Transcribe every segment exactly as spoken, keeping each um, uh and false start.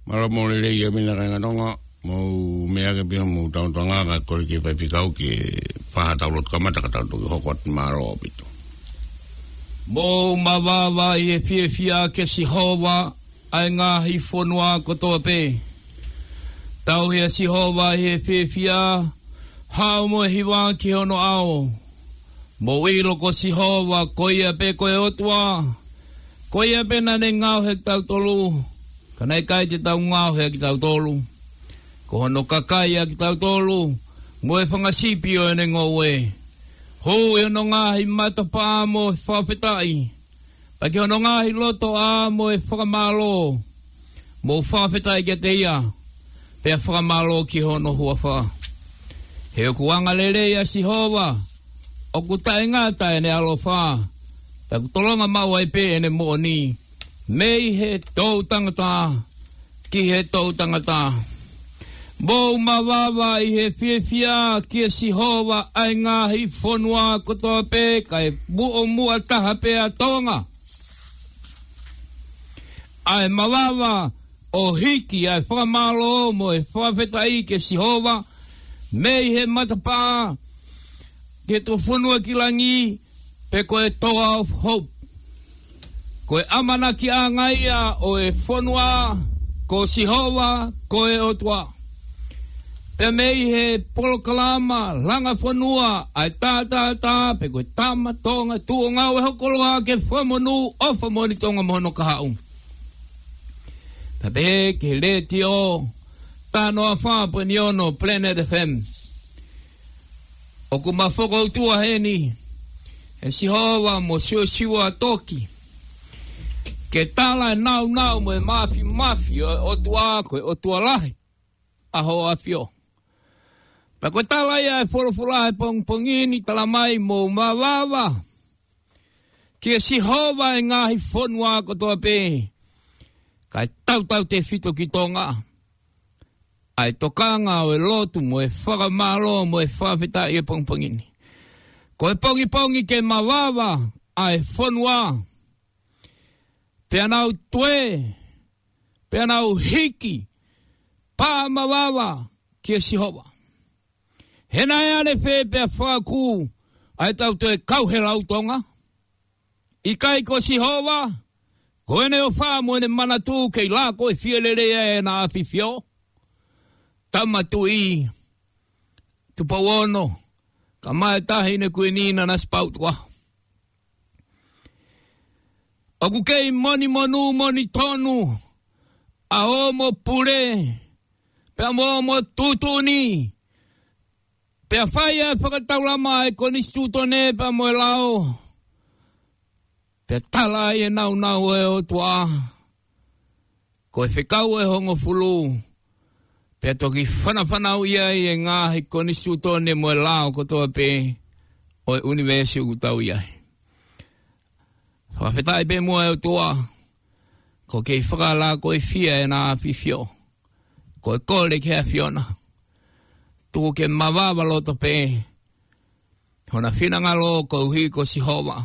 Mālō mo e lelei ʻa e meʻa kāinga Tonga, mou meʻa ke pia mou tau Tonga ka kole ki he faifekau ke fai ha tau lotu kamata ka tau toki hoko atu, mālō ʻaupito. Mou mavava ʻi he fiefia kia Sihova ʻa e ngaahi fonua kotoa pē. Tauhi ʻa Sihova ʻi he fiefia, haʻu mo e hiva ki hono ʻao. Mou ʻilo ko Sihova, ko ia pē ko e ʻOtua, ko ia pē naʻa ne ngaohi kitautolu, ka naʻe ʻikai te tau ngaohi kitautolu. Ko hono kakai ʻa kitautolu, mo e fanga sipi ʻo ʻene ngoue. Hū ʻi hono ngaahi matapā mo e fakafetaʻi, pea ki hono ngaahi lotoʻā mo e fakamālō. Mou fakafetaʻi kiate ia, pea fakamālō ki hono huafa. He ʻoku angalelei ʻa Sihova, ʻoku taʻengata ʻene ʻaloʻofa, pea ʻoku tolonga maʻu ai pē ʻene moʻoni, mei he toʻutangata ki he toʻutangata. Mou mavava ʻi he fiefia kia Sihova ʻa e ngaahi fonua kotoa pē, kae muʻomuʻa taha pē ʻa Tonga. ʻA e mavava ʻo hiki ʻa e fakamālō mo e fakafetaʻi kia Sihova, mei he matapā ki he tuʻufonua ki langi, pe ko e Toa of Hope. Ko e ʻamanakiʻanga ia ʻo e fonua, ko Sihova ko e ʻOtua. Pea mei he polokalama langa fonua ʻa e tātātā, pe ko e Tama Tonga Tuʻi ʻo Ngāue, hoko atu ki he Fakamonū ʻOfa Moʻoni Tonga mo hono kahaʻu. Pea pehē ki he letiō, taha noa fā poini ono Planet F M. ʻOku ma fokoutua heni ʻe Sihova mo Siosiua Toki, ke tala e nāunau mo e māfimafi ʻo e ʻOtua, ko e ʻOtua lahi ʻa hoʻo ʻAfio. Pea ko e tala ia ʻa e folofola he pongipongi ni, tala mai, mou mavava kia Sihova ʻa e ngaahi fonua kotoa pē, kae tautautefito ki Tonga. ʻA e tokanga ʻo e lotu mo e fakamālō mo e fakafetaʻi he pongipongi ni. Ko e pongipongi ke mavava ʻa e fonua, pea nau tue, pea nau hiki pā mavava kia Sihova. He naʻe ʻanefē pea fakakū ʻa e tau toe kau he lau Tonga? ʻIkai ko Sihova, ko ʻene ʻofa mo ʻene manatu kei lākoifie lelei ai ʻena ʻAfifio. Tama Tuʻi Tupou Ono, kae ʻumaʻā e Taʻahine Kuini Nanasipauʻu Tukuʻaho. ʻOku kei monimonū monitonu ʻa hoʻomo pule, pea mo hoʻomo tuʻutuʻuni, pea fai ʻa e fakataulama ʻa e Konisitūtone pea mo e lao, pea tala ai e nāunau ʻo e ʻOtua, ko e fekau ʻe hongofulu, pea toki fanafanauʻi ai e ngaahi konisitūtone mo e lao kotoa pē ʻo e ʻunivēsi ʻoku tau ʻi ai. Fakafetaʻi pē muʻa e ʻOtua, ʻoku kei fakalākoifie ʻena ʻAfifio. Ko e kole ki he ʻAfiona, tuku ke mavava loto pē hona finangalo koeʻuhi ko Sihova.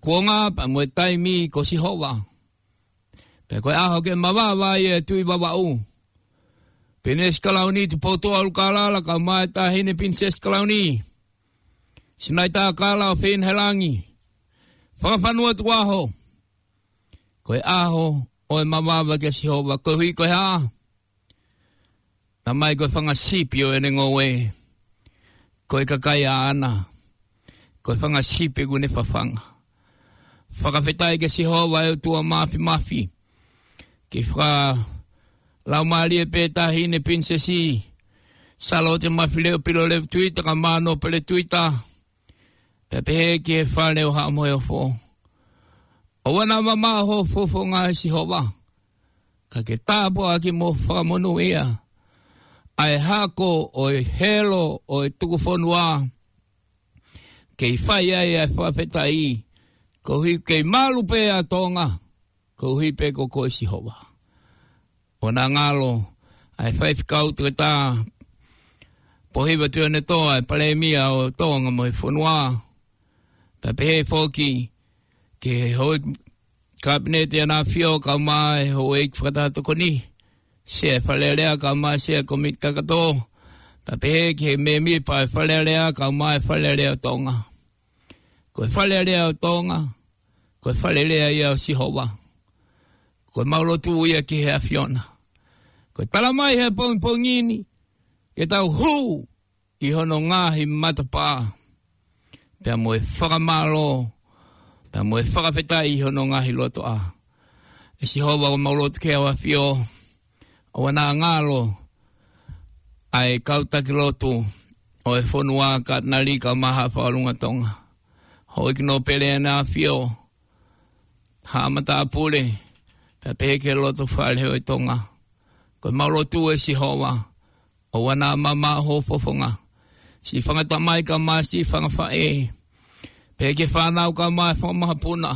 Kuonga pea mo e taimi ko Sihova. Pea ko e ʻaho ke mavava ai e Tuʻi Vavaʻu, Pilinisi Kalauni Tupoutoʻa ʻUlukalala, kae ʻumaʻā e Taʻahine Pilinisesi Kalauni Sinaitākala ʻofeina he langi, Fakafanua Tukuʻaho. Ko e ʻaho ʻo e mavava kia Sihova, koeʻuhi ko e hā? Tala mai ko e fanga sipi ʻo ʻene ngoue, ko e kakai ʻaʻana, ko e fanga sipi ʻoku ne fafanga. Fakafetaʻi kia Sihova ʻa e ʻOtua Māfimafi. Kei fakalaumālie pē Taʻahine Pilinisesi Sālote Mafileʻo Pilolevu Tuita, kae ʻumaʻā Nōpele Tuita, pea pehē ki he Fale ʻo Haʻa Moheofo. ʻOua naʻa mamaʻo hoʻo fofonga ʻe Sihova, ka ke tāpuakiʻi mo fakamonūʻia ʻa e hako ʻo e helo ʻo e tukufonua, kei fai ai ʻa e fakafetaʻi, koeʻuhi kei malu pē ʻa Tonga, koeʻuhi pē ko koe Sihova. ʻOua naʻa ngalo ʻa e Faifekau Toketā Pōhiva Tuʻiʻonetoa, ʻa e Palēmia ʻo Tonga mo e fonua. Pea pehē foki ki he houʻeiki Kapineti ʻa e ʻAfio kae ʻumaʻā e houʻeiki fakataha tokoni, Sea ʻo e Fale Alea kae ʻumaʻā e Sea ʻo e Kōmiti Kakato, pea pehē ki he mēmipa ʻo e Fale Alea kae ʻumaʻā e Fale Alea ʻo Tonga. Ko e Fale Alea ʻo Tonga, ko e Fale Alea ia ʻo Sihova. Ko ʻemau lotu ia ki he ʻAfiona. Ko e talamai he pongipongi ni, ke tau hū ʻi hono ngaahi matapā, pea mo e fakamālō, pea mo e fakafetaʻi ʻi hono ngaahi lotoʻā. ʻE Sihova, ʻoku mau lotu ki he ʻAfio, ʻoua naʻa ngalo ʻa e kau taki lotu ʻo e fonua, Katinali kae ʻumaʻā Haʻa Fakalunga Tonga, houʻeiki nōpele ʻa e ʻAfio, Haʻa Matāpule, pea pehē ki he Lotofale ʻo e Tonga. Ko ʻemau lotu, ʻe Sihova, ʻoua naʻa mamaʻo ho fofonga. Siʻi fanga tamai kae ʻumaʻā siʻi fanga faʻē, pehē ki he fānau kae ʻumaʻā e fanga makapuna.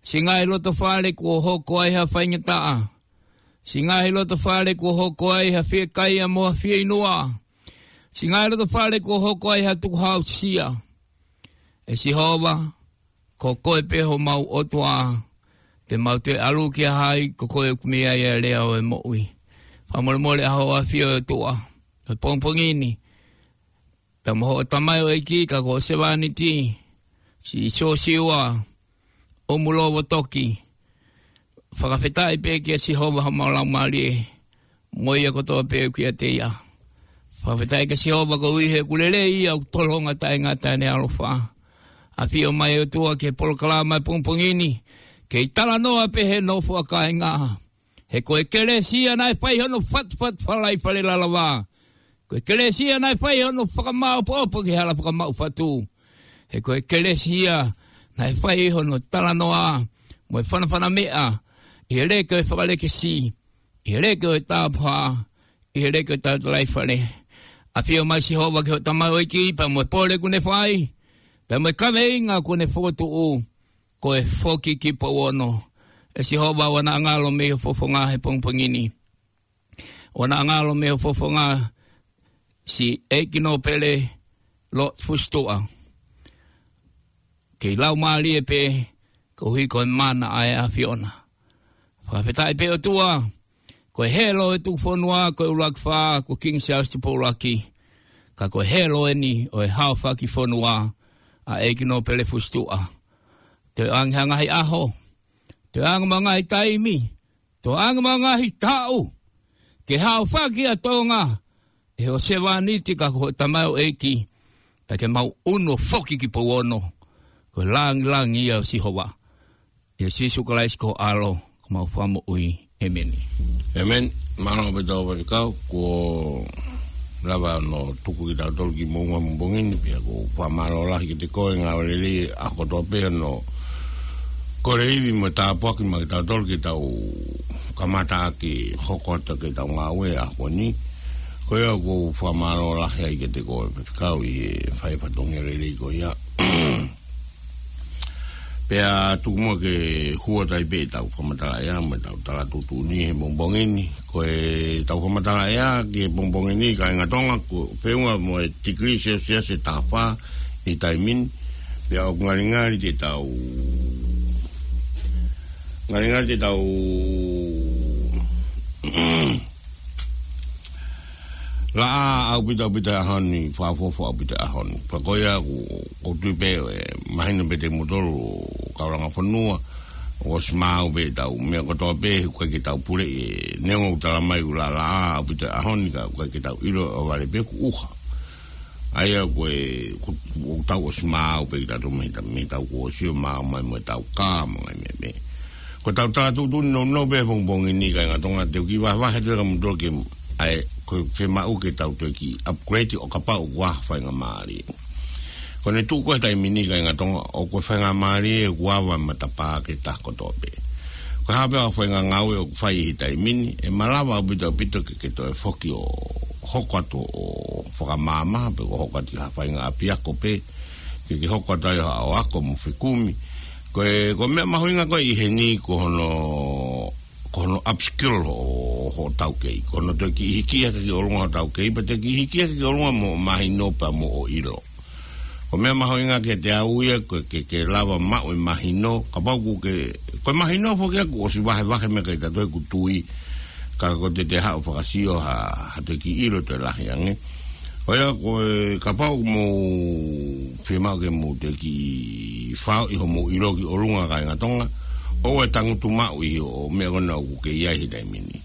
Siʻi ngaahi lotofale kuo hoko ai ha faingataʻa. Siʻi ngaahi lotofale kuo hoko ai ha fiekaia mo ha fieinua. Siʻi ngaahi lotofale kuo hoko ai ha tukuhausia. ʻE Sihova, ko koe pē homau ʻOtua, te mau toe ʻalu kia hai, ko koe ʻoku mei ai ʻa e lea ʻo e moʻui. Fakamolemole ʻa ho ʻAfio, ʻe ʻOtua, he pongipongi ni, pea mo hoʻo tamaioʻeiki, ka ko ho sevāniti, Siosiua ʻOmulovo Toki. Fakafetaʻi pē kia Sihova homau laumālie, mo ia kotoa pē ʻoku ʻiate ia. Fakafetaʻi kia Sihova koeʻuhi he ʻoku lelei ia, ʻoku tolonga taʻengata ʻene ʻaloʻofa. ʻAfio mai, ʻe ʻOtua, ki he polokalama ʻo e pongipongi ni, kei talanoa pē he nofo ʻa kāinga. He ko e kelesi ia naʻe fai hono fatufatu falai Fale Lalavā. Ko e kelesi ia naʻe fai hono fakamāʻopoʻopo ki he hala fakamaʻu fatu. He ko e kelesi ia naʻe fai hono talanoa mo e fanafana meʻa ʻi he leke ʻo e fakalekesi, ʻi he leke ʻo e tāpuhā, ʻi he leke ʻo e talatalaifale. ʻAfio mai Sihova ki hoʻo tamaioʻeiki pea mo e pole kuo ne fai, pea mo e kaveinga kuo ne fokotuʻu, ko e Foki ki Pouono. ʻE Sihova, ʻoua naʻa ngalo mei ho fofonga he pongipongi ni. ʻOua naʻa ngalo mei ho fofonga siʻi ʻEiki Nōpele Lord Fusituʻa. Kei laumālie pē, koeʻuhi ko e mana ʻa e ʻAfiona. Fakafetaʻi pē, ʻOtua, ko e helo ʻo e tuku fonua, ko e ʻUluaki Fā, ko Kingi Siaosi Tupou ʻUluaki. Ka ko e helo eni ʻo e haofaki fonua ʻa ʻEiki Nōpele Fusituʻa. Toe ʻoange ha ngaahi ʻaho, toe ʻoange mo e ngaahi taimi, toe ʻoange mo e ngaahi taʻu, ke haofaki ʻa Tonga ʻe ho sevāniti ka ko ho tamaioʻeiki, pea ke mau ʻunu ʻo foki ki Pouono, ko e lāngilangi ia ʻo Sihova. ʻIa Sīsū Kalaisi ko ho ʻAlo, ko homau Fakamoʻui. ʻĒmeni. ʻĒmeni. Mālō ʻaupito Faifekau, kuo lava hono tuku kitautolu ki muʻa he pongipongi ni, pea ʻoku ou fakamālō lahi kiate koe, ngāue lelei ʻa e ʻaho kotoa pē hono kole ivi mo tāpuaki maʻa kitautolu ke tau kamata ʻaki hoko atu ki heʻetau ngāue ʻaho ni. Ko ia ʻoku ou fakamālō lahi ai kiate koe Faifekau ʻi he fai fatongia lelei ko ia. Pea tuku muʻa ke hū atu ai pē ʻetau fakamatala ʻea mo ʻetau tala tuʻutuʻuni he pongipongi ni. Ko ʻetau fakamatala ʻea ki he pongipongi ni, kāinga Tonga, ko e feʻunga mo e tikilī selesiasi ʻe taha fā ʻi he taimi ni. Pea ʻoku ngalingali te tau, ngalingali te tau laʻā ʻaupito ʻaupito he ʻaho ni, fakaʻofoʻofa ʻaupito he ʻaho ni. Pea ko ia ʻoku, ʻoku ou tui pē ʻe mahino pē kiate kimoutolu kau langa fonua, ʻoku ʻosi maau pē ʻetau meʻa kotoa pē, ʻoku ʻikai ke tau puleʻi, neongo ʻoku talamai ʻoku laʻā ʻaupito he ʻaho ni, ka ʻoku ʻikai ke tau ʻilo ʻo vale pē ʻoku ʻuha. ʻA ia ko e, ko, ʻoku tau ʻosi maau pē kitautolu mei he ta-, mei heʻetau kuo ʻosi ʻo maau mai mo ʻetau kā mo e ngaahi meʻa pē. Ko ʻetau tala tuʻutuʻuni nounou pē he pongipongi ni, kāinga Tonga, te u kiʻi vahevahe atu kiate kimoutolu ki ai, ko e fiemaʻu ke tau toe kiʻi upgrade ʻo kapau ʻoku ʻi ai ha faingamālie. Ko ʻene tuʻu ko ē he taimi ni, kāinga Tonga, ʻoku ʻi ai e faingamālie ʻoku ava e matapā ki he taha kotoa pē. Ko e hā pē ha faʻahinga ngāue ʻoku fai he taimi ni, ʻe malava ʻaupito ʻaupito ke, ke toe foki ʻo hoko atu ʻo fakamaama, pe ko e hoko atu ha faʻahinga ʻapiako pē, ke, ke hoko atu ai ʻo, ʻo ako mo fekumi. Ko e, ko e meʻa mahuʻinga ko ē ʻi heni ko hono, ko hono upskill ho, ho taukei. Ko hono toe kiʻi hiki hake ki ʻolunga ho taukei, pea toe kiʻi hiki hake ki ʻolunga mo mahino pea mo ʻilo. Ko e meʻa mahuʻinga kiate au ia ko e ke, ke lava maʻu e mahino, kapau ʻoku ke, ko e mahino foki ia kuo ʻosi vahevahe meʻa kiate kitautolu ʻoku tui, ka ko e te te haʻu fakasio ha, ha toe kiʻi ʻilo toe lahi ange. Ko ia ko e kapau ʻoku mou fiemaʻu ke mou toe kiʻi faʻo ʻi hoʻomou ʻilo ki ʻolunga kāinga Tonga, ʻoua ʻe tangutu maʻu ʻi hoʻo meʻa ko ena ʻoku ke ʻi ai he taimi ni.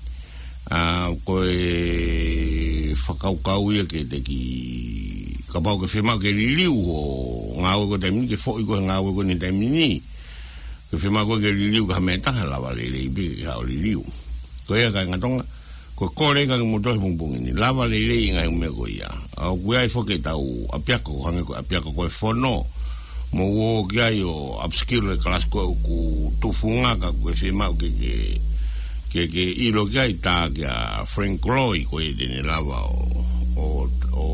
ʻA, ko e fakakaukau ia ke te kiʻi, kapau ʻoku ke fiemaʻu ke liliu hoʻo ngāue ko e taimi ni, ke foʻi ko e ngāue ko eni taimi ni. Ke fiemaʻu ko e ke liliu ki ha meʻa ʻe taha, lava lelei pē ke haʻu ʻo liliu. Ko ia kāinga Tonga, ko e kole kāinga mo toe he pongipongi ni, lava lelei e ngaahi meʻa ko ia. ʻA, ʻoku ʻi ai foki ʻetau ʻapiako, hangē ko e ʻapiako ko e fono, mou ō ki ai ʻo upskill e kalasi ko ē ʻoku tufunga ka ko e fiemaʻu ke, ke, ke, ke ʻilo ki ai, tā kia Frank Loy ko e te ne lava ʻo, ʻo, ʻo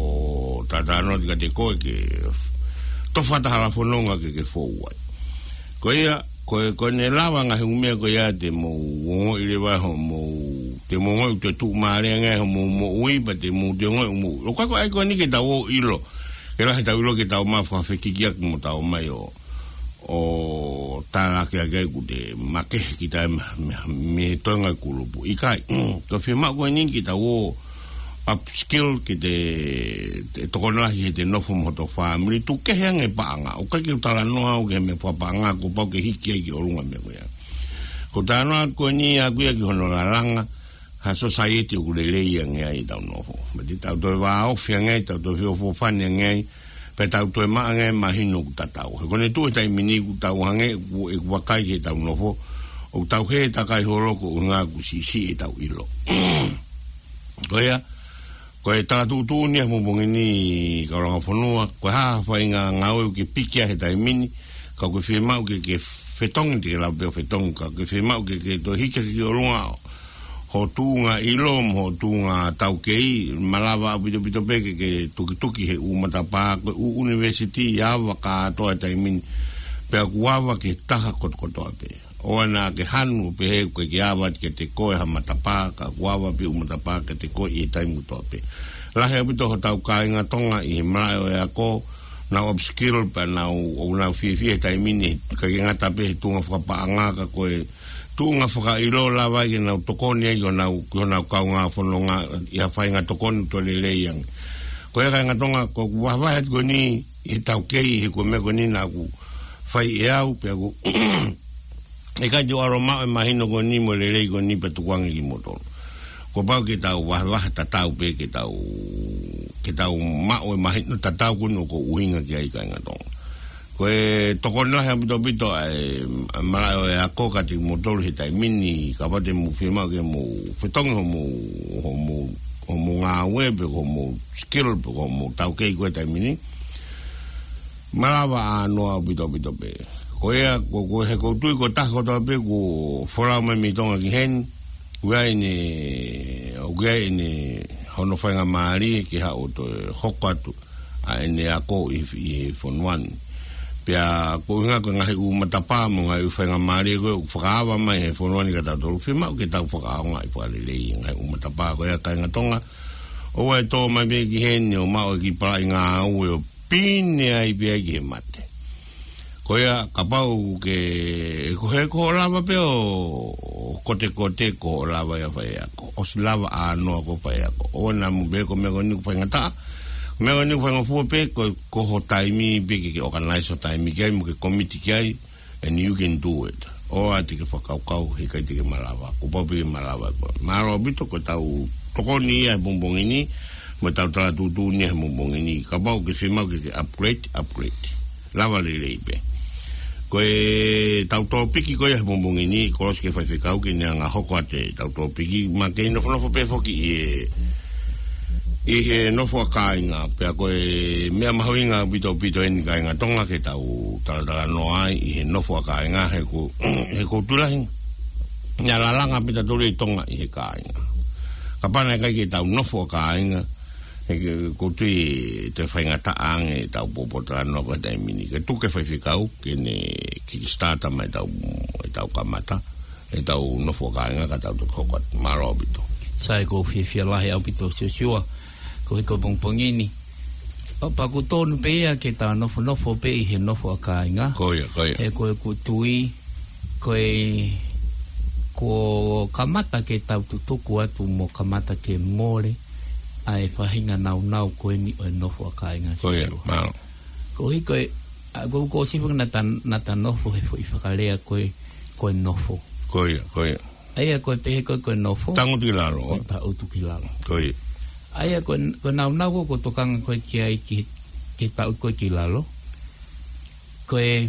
talanoa atu kiate koe ke tofa atu ha hala fononga ke, ke fou ai. Ko ia, ko e, ko ʻene lava ngaahi ʻū meʻa ko ia te mou ongoʻi leva hoʻomou, te mou ongoʻi ʻoku tuʻumālie ange hoʻomou moʻui, pea te mou toe ongoʻi mou. ʻOku ʻikai ko e ʻai ko eni ke tau ō ʻo ʻilo, ke lahi ʻetau ʻilo ke tau maʻu fakafekiki atu mo tau mai ʻo, ʻo tālaki ake ai ʻoku te makehe kita mei, mei, mei he toenga kulupu. ʻIkai, ko e fiemaʻu ko eni ke tau ō upskill ke te, te tokoni lahi he te nofo mo hoto fāmili, tuku kehe ange paʻanga. ʻOku ʻikai ke u talanoa au ki he meʻa fakapaʻanga, kuo pau ke hiki ai ki ʻolunga meʻa ko ia. Ko e talanoa ko eni ʻaʻaku ia ki hono lalanga ha society ʻoku lelei ange ai ʻetau nofo. Pea te tau toe vāofi ange ai, tau toe feʻofoʻofani ange ai, pea tau toe maʻu ange ai mahino ʻoku tatau. He ko ʻene tuʻu he taimi ni ʻoku tau hangē ʻoku, ʻoku vakai ki heʻetau nofo, ʻoku tau hē takai holo koeʻuhinga ʻoku siʻisiʻi ʻetau ʻilo. Ko ia, ko e tala tuʻutuʻuni ia he pongipongi ni, kau langa fonua, ko e hā ha faʻahinga ngāue ʻoku ke piki ai he taimi ni, ka ʻoku ke fiemaʻu ke, ke fetongi, te ke lava pē ʻo fetongi, ka ʻoku ke fiemaʻu ke, ke toe hiki hake ki ʻolunga hoʻo tuʻunga ʻilo mo hoʻo tuʻunga taukei, malava ʻaupito pito pē ke, ke tukituki he ʻū matapā, ko e ʻū ʻunivēsiti ʻoku ava kātoa he taimi ni, pea ʻoku ava ki he taha kotokotoa pē. ʻOua naʻa ke hanu ʻo pehē ʻoku ʻikai ke ava kiate koe ha matapā, ka ʻoku ava pē ʻū matapā kiate koe ʻi he taimi kotoa pē. Lahi ʻaupito hotau kāinga Tonga ʻi he malaʻe ʻo e ako, nau upskill pea nau, ʻoku nau fiefia he taimi ni, ʻikai ke ngata pē he tuʻunga fakapaʻanga ka ko e tuʻunga fakaʻilo lava ai ke nau tokoni ai ki honau, ki honau kaungā fononga ʻi ha faʻahinga tokoni toe lelei ange. Ko ia kāinga Tonga, ko ʻeku vahevahe atu ko eni ʻi he taukei, he ko e meʻa ko eni naʻá ku fai ʻe au, pea ʻoku ʻikai te u ʻalu ʻo maʻu e mahino ko eni mo e lelei ko eni pea tukuange kimoutolu. Kuo pau ke tau vahevahe tatau pē ke tau, ke tau maʻu e mahino tatau ko eni ʻoku ou ʻuhinga ki ai kāinga Tonga. Ko e tokoni lahi ʻaupito pito ʻa e malaʻe ʻo e ako kiate kimoutolu he taimi ni, kapau te mou fiemaʻu ke mou fetongi hoʻomou, hoʻomou, hoʻomou ngāue pe ko hoʻomou skill pe ko hoʻomou taukei ko ē he taimi ni. Malava ʻānoa ʻaupito pito pē. Ko ia, ko, ko e he ʻoku ou tui ko e taha kotoa pē kuo folau mai mei Tonga ki heni, ʻoku ʻi ai ʻene, ʻoku ʻi ai ʻene hono faingamālie ke haʻu ʻo toe hoko atu ʻa ʻene ako ʻi, ʻi he fonua ni. Pea koeʻuhinga ko e ngaahi ʻū matapā mo e ngaahi ʻū faingamālie ko ē ʻoku fakaava mai he fonua ni kiate kitautolu, fiemaʻu ke tau fakaʻaongaʻi fakalelei e ngaahi ʻū matapā ko ia kāinga Tonga. ʻOua ʻe tō mai pē ki heni ʻo maʻu e kiʻi palaʻi ngāue ʻo pine ai pē ai ki he mate. Ko ia, kapau ke, ko e, ko hoʻo lava pē ʻo kotekote, ko hoʻo lava ia ʻo fai ako. ʻOsi lava ʻānoa ko e fai ako. ʻOua naʻa mou pehē ko e meʻa ko eni ʻoku faingataʻa. Meʻa ko eni ʻoku faingofua pē, ko, ko ho taimi pē ke, ke organize ho taimi ki ai, mo ke komiti ki ai, and you can do it. ʻOua te ke fakakaukau he ʻikai te ke malava. Kuo pau pē ke malava koe. Mālō ʻaupito, ko ʻetau tokoni ia he pongipongi ni, mo ʻetau tala tuʻutuʻuni ia he pongipongi ni. Kapau ʻoku ke fiemaʻu ke, ke upgrade, upgrade. Lava lelei pē. Ko ʻetau tōpiki ko ia he pongipongi ni, Kolosi ki he Faifekau, ke ne hanga ʻo hoko atu ʻetau tōpiki, mo e kei nofonofo pē foki ʻi he, ʻi he nofo ʻa kāinga, pea ko e meʻa mahuʻinga ʻaupito pito eni kāinga Tonga ke tau talatalanoa ai ʻi he nofo ʻa kāinga, he ʻoku, he ʻoku ou tui lahi naʻa lalanga pē kitautolu ʻi Tonga ʻi he kāinga. Kapau naʻe ʻikai ke tau nofo ʻa kāinga, he ʻoku ou tui ʻe toe faingataʻa ange ʻetau pōpōtalanoa ko e taimi ni. Ke tuku ki he Faifekau ke ne kickstart mai ʻetau, ʻetau kamata ʻetau nofo ʻa kāinga ka tau toki hoko atu. Mālō ʻaupito. Sai, ʻoku ou fiefia lahi ʻaupito Siosiua, ko e hiko pongipongi ni. ʻO pea ʻoku tonu pē ia ke tau nofonofo pē ʻi he nofo ʻa kāinga. Ko ia, ko ia. He ko ʻeku tui, ko e, kuo kamata ke tau tutuku atu mo kamata ke mole ʻa e faʻahinga naunau ko eni ʻo e nofo ʻa kāinga. Ko ia, mālō. Koeʻuhi ko e, ʻa, ko, ko sifu na ta, na ta nofo he foʻi fakalea ko e, ko e nofo. Ko ia, ko ia. ʻA ia ko e pehē ko e, ko e nofo. Tangutu ki lalo. Ko e tangutu ki lalo. Ko ia. ʻA ia ko e, ko e naunau ko, ko e tokanga ko e ki ai ki, ki tangutu ko e ki lalo. Ko e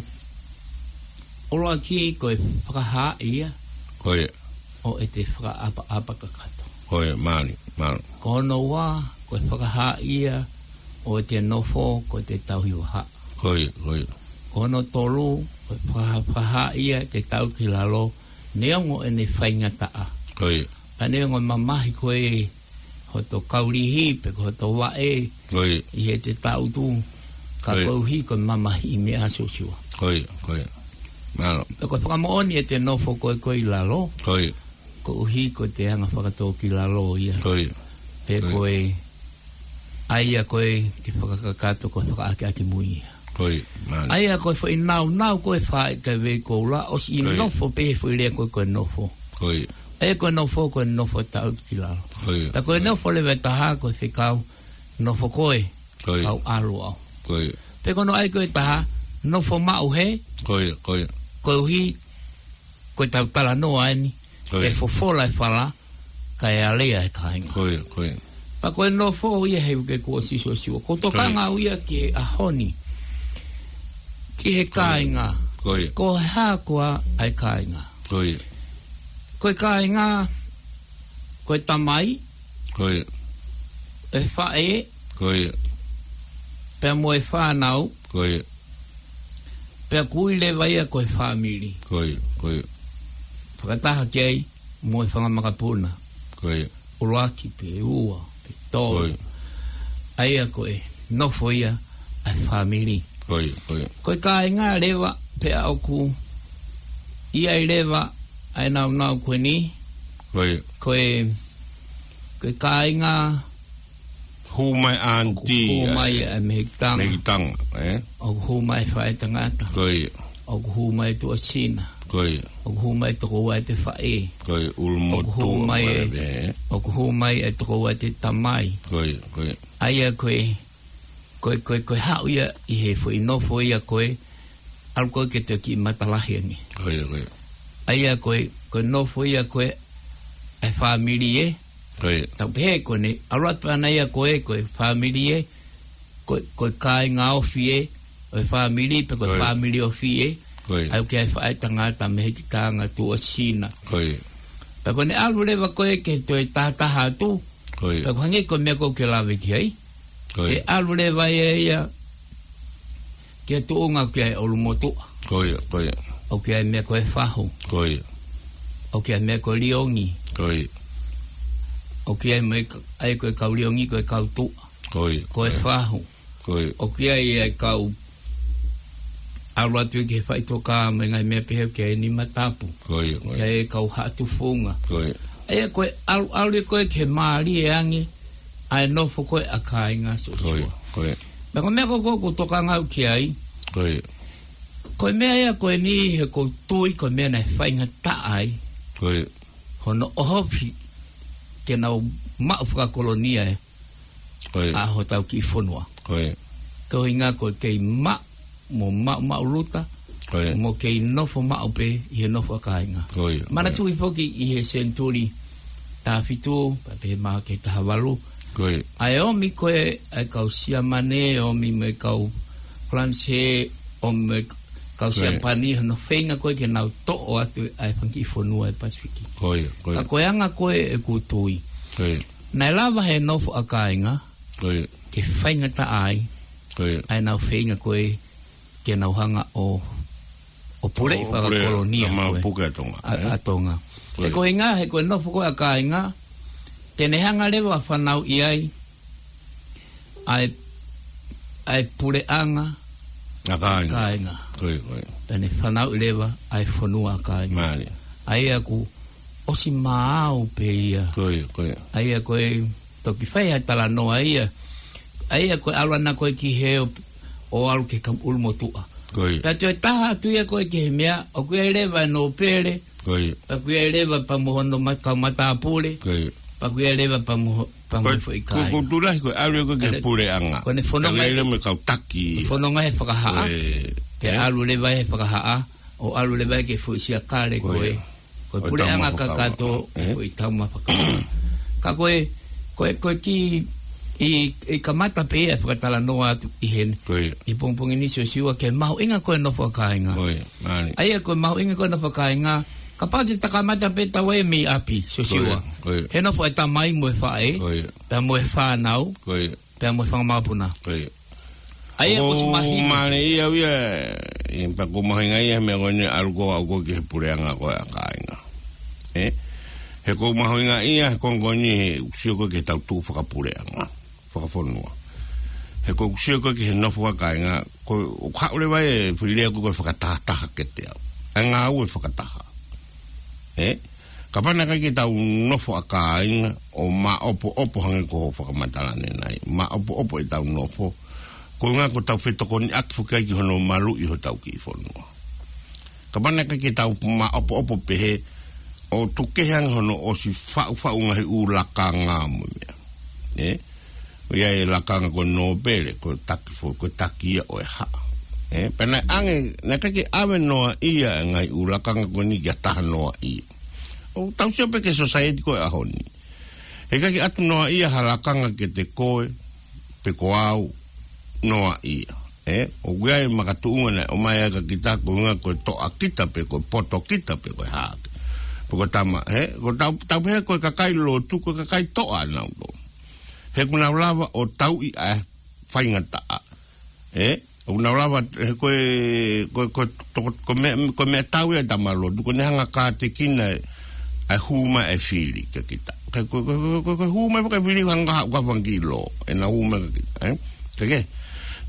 ʻuluaki ko e fakahā ia. Ko ia. ʻO ʻete fakaʻapaʻapa kakato. Ko ia, mālie, mālie. Ko hono ua, ko e fakahā ia ʻo ʻete nofo, ko ʻete tauhi vahaʻa. Ko ia, ko ia. Ko hono tolu, ko e fakahā, fakahā ia ʻete tangutu ki lalo, neongo ʻene faingataʻa. Ko ia. Pea neongo mamahi ko e hoto kaulihi, pe ko hoto vaʻe, Ko ia. ʻi heʻete tangutu, ka Ko ia. koeʻuhi ko e mamahi ʻi meʻa Siosiua. Ko ia, ko ia. Mālō. Pea ko e fakamoʻoni ʻete nofo ko e ko e ʻi lalo, Ko ia. koeʻuhi ko ʻete anga fakatōkilalo ia. Ko ia. Pe Ko ia. ko e, ʻa ia ko e ke fakakakato ko e fakaʻakiʻakimui ia. Ko ia, mālie. ʻA ia ko e foʻi naunau ko e faʻa ka vei koula, ʻosi Ko ia. nofo pē he foʻi lea ko e ko e nofo. Ko ia. ʻA ia ko e nofo, ko e nofo tangutu ki lalo. Ko ia. Pea ko e Ko ia. nofo leva ʻe taha, ko e fekau, nofo ko e, Ko ia. kau ʻalu au. Ko ia. Pe ko hono ʻai ko e taha, nofo maʻu he, Ko ia, ko ia. koeʻuhi, ko e tau talanoa eni, Ko ia. ʻe fofola e fala, kae alea e kāinga. Ko ia, ko ia. Pea ko e nofo ia he uke kuo ʻosi Siosiua. Ko e Ko ia. tokanga au ia ki he ʻaho ni, ki he Ko ia. kāinga. Ko ia. Ko e hā koā ʻa e kāinga. Ko ia. Ko e kāinga, ko e tamai, Ko ia. e faʻē, Ko ia. pea mo e fānau, Ko ia. pea ʻoku ui leva ia ko e fāmili. Ko ia, ko ia. Fakataha ki ai mo e fanga makapuna. Ko ia. ʻUluaki pe ua, pe tolu. Ko ia. ʻA ia ko e nofo ia ʻa e fāmili. Ko ia, ko ia. Ko e kāinga leva pea ʻoku ʻi ai leva ʻa e naunau ko eni. Ko ia. Ko e, ko e kāinga Hū mai ʻaunitī, hū mai ʻa e mehikitanga. Mehikitanga, ē? ʻOku hū mai faʻētangata. Ko ia. ʻOku hū mai tuʻasina. Ko ia. ʻOku hū mai tokoua ʻete faʻē. Ko ia, ʻulumotuʻa ʻOku hū mai mai ē, ē. ʻOku hū mai ʻa e tokoua ʻete tamai. Ko ia, ko ia. ʻA ia ko e, ko e, ko e, ko e haʻu ia ʻi he foʻi nofo ia ko e, ʻalu ko e ke te kiʻi matalahi ange. Ko ia, ko ia. ʻA ia ko e, ko e nofo ia ko e, ʻa e fāmili ē. Ko ia. Tau pehē ko eni, ʻalu atu ʻana ia ko e, ko e fāmili ē, ko e, ko e kāinga ofi ē, ʻo e fāmili, pe ko e Ko ia. fāmili ofi ē. Ko ia. ʻA ia ʻoku ʻi ai e faʻētangata, mehikitanga, tuʻasina. Ko ia. Pea ko ʻene ʻalu leva ko e ke toe tahataha atu. Ko ia. Pea ʻoku hangē ko e meʻa ko ē ʻoku ke lave ki ai. Ko ia. ʻE ʻalu leva ia ia ki he tuʻunga ʻoku ʻi ai e ʻulumotuʻa. Ko ia, ko ia. ʻOku ʻi ai e meʻa ko e fahu. Ko ia. ʻOku ʻi ai e meʻa ko e liongi. Ko ia. ʻOku ʻi ai e meʻa, ʻa ia ko e kau liongi, ko e kau tuʻa. Ko ia, Ko e ko ia. fahu. Ko ia. ʻOku ʻi ai e kau ʻalu atu ki he faʻitoka mo e ngaahi meʻa pehē ʻoku ʻi ai e nima tapu. Ko ia, ko ia. ʻOku ʻi ai e kau haʻa tufunga. Ko ia. ʻA ia ko e ʻalu, ʻalu ko e ke mālie ange, ʻa e nofo ko e ʻa kāinga Siosiua. Ko ia, ko ia. Pea ko e meʻa ko ē ʻoku ou tokanga au ki ai. Ko ia. Ko e meʻa ia ko eni he ʻoku ou tui ko e meʻa naʻe faingataʻa ai. Ko ia. Hono ʻohofi ke nau maʻu fakakolonia ē. Ko ia. ʻA hotau kiʻi fonua. Ko ia. Ko e ʻuhinga ko e kei maʻu mo maʻumaʻuluta, Ko ia. mo kei nofo maʻu pē ʻi he nofo ʻa kāinga. Ko ia, ko ia. Manatuʻi foki ʻi he senituli taha fitu, pea pehē mai ki he taha valu. Ko ia. ʻA e ʻomi ko e, ʻa e kau Siamane, ʻomi mo e kau Falanisē, ʻomi mo e kau Ko ia. Siapani, hono feinga ko e ke nau toʻo atu ʻa e fanga kiʻi fonua ʻi he Pasifiki. Ko ia, ko ia. Ka ko e anga ko e ʻeku tui. Ko ia. Naʻe lava he nofo ʻa kāinga, Ko ia. ke faingataʻa ai, Ko ia. ʻa ʻenau feinga ko e ke nau hanga ʻo, ʻo puleʻi ʻO puleʻi fakakolonia ʻa mau ko e puke ʻa Tonga, ʻa, ē? ʻa Tonga. Ko ia. He ko e ʻuhinga, he ko e nofo ko e ʻa kāinga, te ne hanga leva ʻo fanauʻi ai ʻa e, ʻa e puleʻanga ʻa kāinga. kāinga. Ko ia, ko ia. Te ne fanauʻi leva ʻa e fonua ʻa kāinga. Mālie. ʻA ia ʻoku ʻosi maau pē ia. Ko ia, ko ia. ʻA ia ko e toki fai ha talanoa ia. ʻA ia ko e ʻalu ʻana ko ē ki he ʻo, ʻo ʻalu ki he kau ʻulumotuʻa. Ko ia. Pea toe taha atu ia ko ē ki he meʻa, ʻoku ʻi ai leva e nōpele, Ko ia. pea ʻoku ʻi ai leva pea mo hono ma-, kau matāpule, Ko ia. pea ʻoku ʻi ai leva pea mo, pea mo Ko e, foʻi ko, kāinga. ko e tulahi ko e ʻalu ia ko ē ki he Ane, puleʻanga. ko ʻene fononga Pea ʻi ai ia leva mo e kau taki. fononga he fakahā. Ko e, Pea ē? ʻalu leva he fakahā, ʻo ʻalu leva ki he foʻi siakale Ko ko ia. ē. Ko e Ko e puleʻanga taumafakava. kakato, Ē? ko e taumafakava. Ka ko e, ko e, ko e kiʻi, ʻi, ʻi kamata pē ia fakatalanoa atu ʻi heni. Ko ia. ʻI pongipongi ni Siosiua ki he mahuʻinga ko ē nofo ʻa kāinga. Ko ia, mālie. ʻA ia ko e mahuʻinga ko ē nofo ʻa kāinga, kapau te ta kamata pē taua ia mei ʻapi, Siosiua. Ko ia, ko ia. He nofo e tamai mo e faʻē, Ko ia. pea mo e fānau. Ko ia. Pea mo e fanga mokopuna. Ko ia. ʻA ia ko ʻOku Sumahine. mālie ia au ia, ʻi pea ʻoku mahuʻinga ia he meʻa ko eni ʻalu ko ē ʻaʻaku ki he puleʻanga ko ē ʻa kāinga. Ē? He ʻoku mahuʻinga ia he konga ko eni he ʻoku sio ko ē ki he tau tuʻu fakapuleʻanga, fakafonua. He ʻoku sio ko ē ki he nofo ʻa kāinga, ko e, ʻoku haʻu leva e foʻi lea ko ē ko e fakatahataha kiate au. ʻA e ngāue fakataha. Ē? Kapau naʻe ʻikai ke tau nofo ʻa kāinga ʻo maʻopoʻopo hangē ko hoʻo fakamatala ʻanenai. Maʻopoʻopo ʻetau nofo. Ko e ʻuhinga ko ʻetau fetokoniʻaki foki ai ki hono maluʻi hotau kiʻi fonua. Kapau naʻe ʻikai ke tau maʻopoʻopo pehē ʻo tuku kehe ange hono ʻosi faʻufaʻu ngaahi ʻū lakanga mo e meʻa. Ē? ʻI ai e lakanga ko e nōpele, ko e taki fo-, ko e taki ia ʻo e haʻa. Ē, pea naʻe ʻange, naʻe ʻikai ke ʻave noa ia e ngaahi ʻū lakanga ko eni kia taha noa ia. ʻOku tau sio pē ki he society ko ē ʻaho ni. He ʻikai ke ʻatu noa ia ha lakanga kiate koe, pe ko au, noa ia. Ē, ʻoku ʻi ai e makatuʻunga naʻe ʻomai ai kia kita, ko e ʻuhinga ko e toʻa kita pe ko e poto kita pe ko e hā. Pe ko e tama, ē, ko tau, tau pehē ko e kakai lotu, ko e kakai toʻa nautolu. He ʻoku nau lava ʻo tauʻi ʻa e faingataʻa. Ē? ʻOku nau lava, he ko e, ko e, ko e, toko, ko e meʻa, ko e meʻatau ia ʻa e tama lotu, ko ʻene hanga ʻo kātekina ʻa e hū mai e fili kia kita. Ko e, ko e, ko e, ko e, ko e hū mai pē ʻa e fili hanga ʻo haʻu ki he fanga kiʻi lō. ʻEna hū mai kia kita, ē? Ke ke?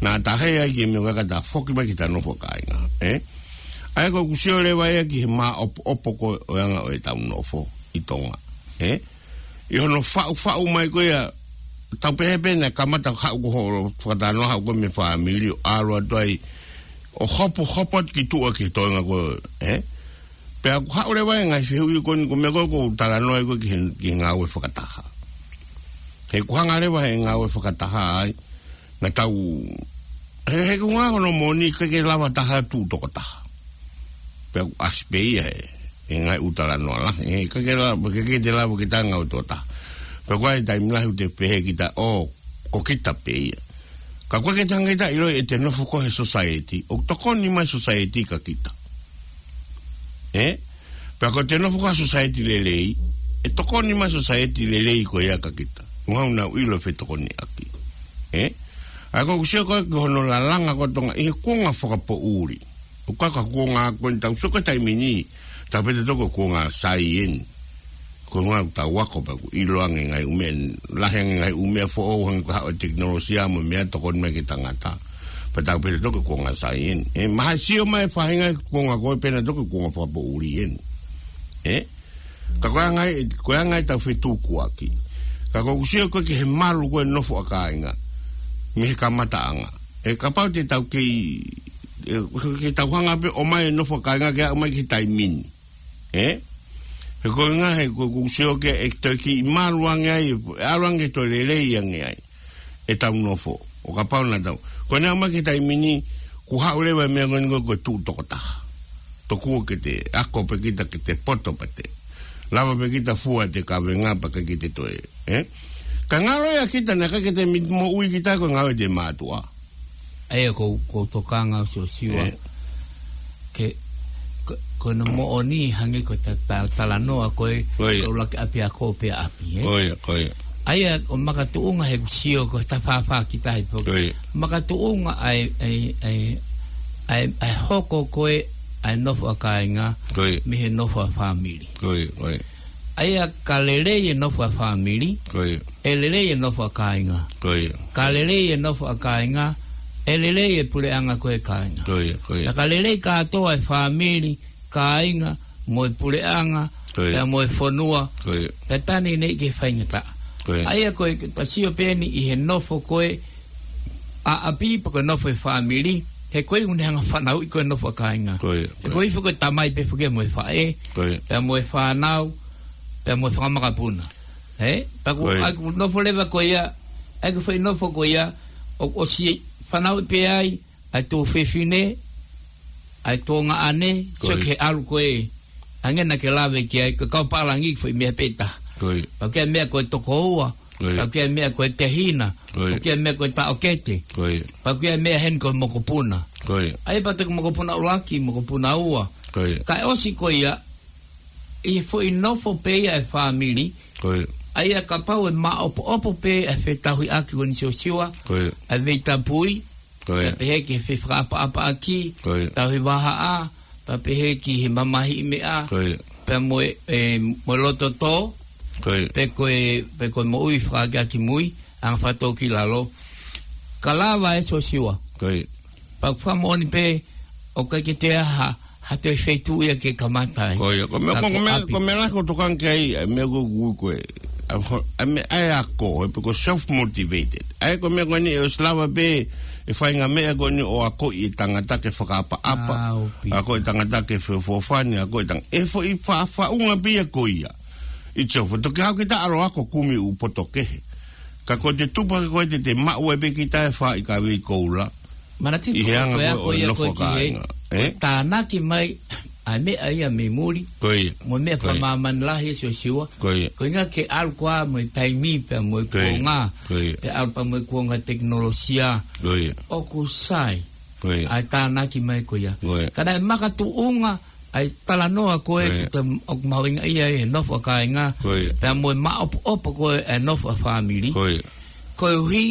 Naʻa ta hē ai ki he meʻa ko ē ka ta foki mai ki heʻeta nofo ʻa kāinga, ē? ʻA ia ko ʻeku sio leva ia ki he maʻopoʻopo ko ē ʻo e anga ʻo ʻetau nofo ʻi Tonga, ē? ʻI hono faʻufaʻu mai ko ia, tau pehē pē naʻe kamata haʻu ko hoʻo fakatalanoa haʻu ko ē mei he fāmili ʻo ʻalu atu ai, ʻo hopohopo atu ki tuʻa ki he toenga ko ē, ē? Pea ʻoku haʻu leva e ngaahi fehuʻi ko eni ko e meʻa ko ē ʻoku ou talanoa ai ko ē ki he, ki he ngāue fakataha. He ʻoku hanga leva he ngāue fakataha ai, naʻa tau, he, he ʻoku ngā kono moni ʻikai ke lava taha tuʻu tokotaha. Pea ʻoku ʻasi pē ia he, he ngaahi ʻū talanoa lahi, he ʻikai ke lava, ʻikai ke te lava kita ngāue tokotaha. Pea ko e taimi lahi ʻoku te pehē kita, ʻo, ko kita pē ia. Ka ʻoku ʻikai ke te hanga ʻe kita ʻo ʻilo ʻete nofo ko ē he society, ʻoku tokoni mai e society kia kita. Ē? Pea ko ʻete nofo ko ē he society lelei, ʻe tokoni mai e society lelei ko ia kia kita. ʻOku nau ʻilo e fetokoniʻaki. Ē? ʻA ia ko ʻeku sio ko ē ki hono lalanga ko ē ʻa Tonga ʻi he kuonga fakapoʻuli. ʻOku ʻikai ko e kuonga ko eni ʻoku tau sio ki ai he taimi ni, tau pehē ʻe tautolu ko e kuonga saieni. Ko e ʻuhinga ʻoku tau ako pea ʻoku ʻilo ange e ngaahi ʻū meʻa, lahi ange e ngaahi ʻū meʻa foʻou hangē ko e haʻu e tekinolosia mo e meʻa tokoni mai ki he tangata. Pea tau pehē ʻe tautolu ko e kuonga saieni. Ē, mahalo ʻe sio mai e faʻahinga he kuonga ko ē pehē ʻe nautolu ko e kuonga fakapoʻuli eni. Ē? Ka ko e anga ia, ko e anga ia ʻetau fetukuaki. Ka ko ʻeku sio ko ē ki he malu ko ē e nofo ʻa kāinga mei he kamataʻanga. Ē, kapau te tau kei, ē, ke tau hanga pē ʻo ʻomai e nofo ʻa kāinga ke aʻu mai ki he taimi ni. Ē? He ko e ʻuhinga he ko, ko ʻeku sio ki ai ʻe toe kiʻi malu ange ai, ʻalu ange toe lelei ange ai ʻetau nofo. ʻO kapau naʻa tau. Ko ʻene aʻu mai ki he taimi ni, kuo haʻu leva e meʻa ko eni ko e tuʻu tokotaha. Tokua ke te ako pē kita ke te poto pē te. Lava pē kita fua ʻete kavenga pea ʻikai ke te toe. Ē? Ka ngalo ia kita naʻe ʻikai ke te mi-, moʻui kita ko e ngāue ʻete mātuʻa. ʻA ia ko, ko e tokanga ʻo Siosiua. Ē. Ke, ko, ko hono moʻoni hangē ko e ta, ta, talanoa ko ē, Ko ia. ʻuluaki ʻapiako pea ʻapi, ē? Ko ia, ko ia. ʻA ia ʻoku makatuʻunga he ʻeku sio ko e tafāfā kita he pō. Ko ia. Makatuʻunga ʻa e, ʻa e, ʻa e, ʻa e, ʻa e hoko ko ē ʻa e nofo ʻa kāinga Ko ia. mei he nofo ʻa fāmili. Ko ia, ko ia. ʻA ia ka lelei e nofo ʻa fāmili, Ko ia. ʻe lelei e nofo ʻa kāinga. Ko ia. Ka lelei e nofo ʻa kāinga, ʻe lelei e puleʻanga ko ē ʻa kāinga. Ko ia, ko ia. Ka lelei kātoa e fāmili, kāinga, mo e puleʻanga, Ko ia. pea mo e fonua, Ko ia. pea tā naʻe ʻi ai e faingataʻa. Ko ia. ʻA ia ko e, ka sio pē eni ʻi he nofo ko ē ʻapi pe ko e nofo e fāmili, he ko e ʻuhinga e fanauʻi ko e nofo ʻa kāinga. Ko ia, he ko ia. Ko e foki e tamai pē foki mo e faʻē, ko ia, pea mo e fānau, pea mo e fakamakapuna. Ē? Pea ko ia. ʻA ʻeku nofo leva ko ia, ʻa ʻeku foʻi nofo ko ia, ʻo, ʻosi fanauʻi pē ai, ʻa e tuofefine, ʻa e tuongaʻane, ko ia, sio ki he ʻalu ko ē. Hangē naʻa ke lave ki ai, ko e kau pālangi foʻi meʻa pē taha. Ko ia. Pea ko e meʻa ko e tokoua, ko ia, pea ko e meʻa ko e tehina, ko ia, pea ko e meʻa ko e taʻokete, ko ia, pea ko e meʻa heni ko e mokopuna. Ko ia. ʻA ia pea ko e mokopuna ʻuluaki, mokopuna ua. Ko ia. Kae ʻosi ko ia, ʻi he foʻi nofo pē ia e fāmili, ko ia, ʻa ia kapau ʻe maʻopoʻopo pē ʻa e fetauhiʻaki ko eni Siosiua, ko ia, ʻa e veitapui, ko ia, pea pehē ki he fefakaʻapaʻapaʻaki, ko ia, tauhi vahaʻa, pea pehē ki he mamahiʻi meʻa, ko ia, pea mo e, e, mo e loto tō, ko ia, pe ko e, pe ko e moʻui fakaakeake mui, anga fakatōkilalo. Ka lava ē Siosiua. Ko ia. Pea ʻoku fakamoʻoni pē, ʻoku ʻikai ke toe ʻi ai ha, ha toe feituʻu ia ke kamata ai. Ko ia, ko e meʻa, ka ko e ko e meʻa, ʻapi. Ko e meʻa lahi ʻoku ou tokanga ki ai, ʻa e meʻa ko ē ʻoku ui ko ē, ʻa e ho-, ʻa e meʻa ʻa e ako, ē pe ko e self-motivated. ʻA ia ko e meʻa ko eni ʻoku ʻosi lava pē, ʻe faʻahinga meʻa ko eni ʻo akoʻi e tangata ke fakaʻapaʻapa. ʻĀ, ʻoku pehē. Akoʻi e tangata ke feʻofoʻofani, akoʻi e tang-, ʻe foʻi fa-, faʻunga pē ia ko ia. It's a, toki haʻu kita ʻalu ʻo ako kumi ʻū poto kehe. Ka ko e tupu hake ko ē te te maʻu ai pē kita e faʻahi kavei koula. Manatuʻi ʻi he ko e anga ko ē ʻo e ako ia nofo ko ē ki he kāinga, ē? Tānaki mai ʻa e meʻa ia mei muli. Ko ia. Mo e meʻa, ko ia, fakamāmani lahi ē Siosiua. Ko ia. Ko e ʻuhinga ke ʻalu koā mo e taimi pea mo e, ko ia, kuonga. Ko ia. Pea ʻalu pea mo e kuonga tekinolosia. Ko ia. ʻOku sai. Ko ia. ʻA e tānaki mai ko ia. Ko ia. Ka naʻe makatuʻunga ʻa e talanoa ko ē, ko ia, ʻoku te, ʻoku mahuʻinga ia ʻi he nofo ʻa kāinga, ko ia, pea mo e maʻopoʻopo ko ē e nofo ʻa fāmili. Ko ia. Koeʻuhi,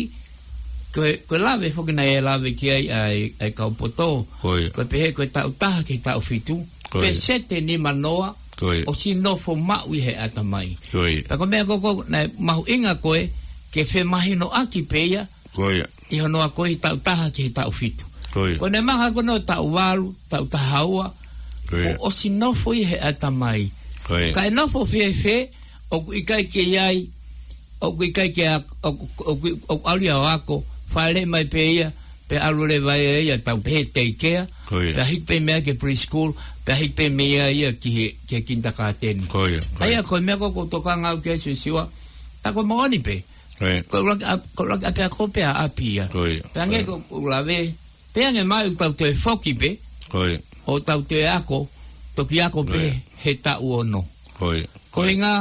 ko e, ko e lave foki naʻe lave ki ai ʻa e, ʻa e kau poto. Ko ia. Ko e pehē ko e taʻu taha ki he taʻu fitu. Ko ia. Pēseti nimanoa, ko ia, ʻosi nofo maʻu ʻi he ʻatamai. Ko ia. Pea ko e meʻa ko ē ʻoku mahuʻinga ko ē, ke femahinoʻaki pē ia, ko ia, ʻi hono ako ʻi he taʻu taha ki he taʻu fitu. Ko ia. Ko ʻene maha ko ē ʻo taʻu valu, taʻu taha ua, ko ia, kuo ʻosi nofo ʻi he ʻatamai. Ko ia. Kae nofo fēfē, ʻoku ʻikai ke ʻi ai, ʻoku ʻikai ke ak-, ʻoku, ʻoku, ʻoku ʻalu ia ʻo ako, fāʻeleʻi mai pē ia, pea ʻalu leva ia ia tau pehē daycare, ko ia, pea hiki pē mei ai ki he preschool, pea hiki pē mei ai ia ki he, ki he kindergarten. Ko ia, ko ia. ʻA ia ko e meʻa ko ē ʻoku ou tokanga au ki ai Siosiua, tā ko e moʻoni pē. Ko ia. Ko e ʻuluaki ʻa-, ko e ʻuluaki ʻapiako pē ʻa ʻapi ia. Ko ia. Pea hangē ko ia, ko ʻeku lave, pea hangē mai ʻoku tau toe foki pē, ko ia, ʻo tau toe ako, toki ako pē, ko ia, he taʻu ono. Ko ia. Ko e ʻuhinga,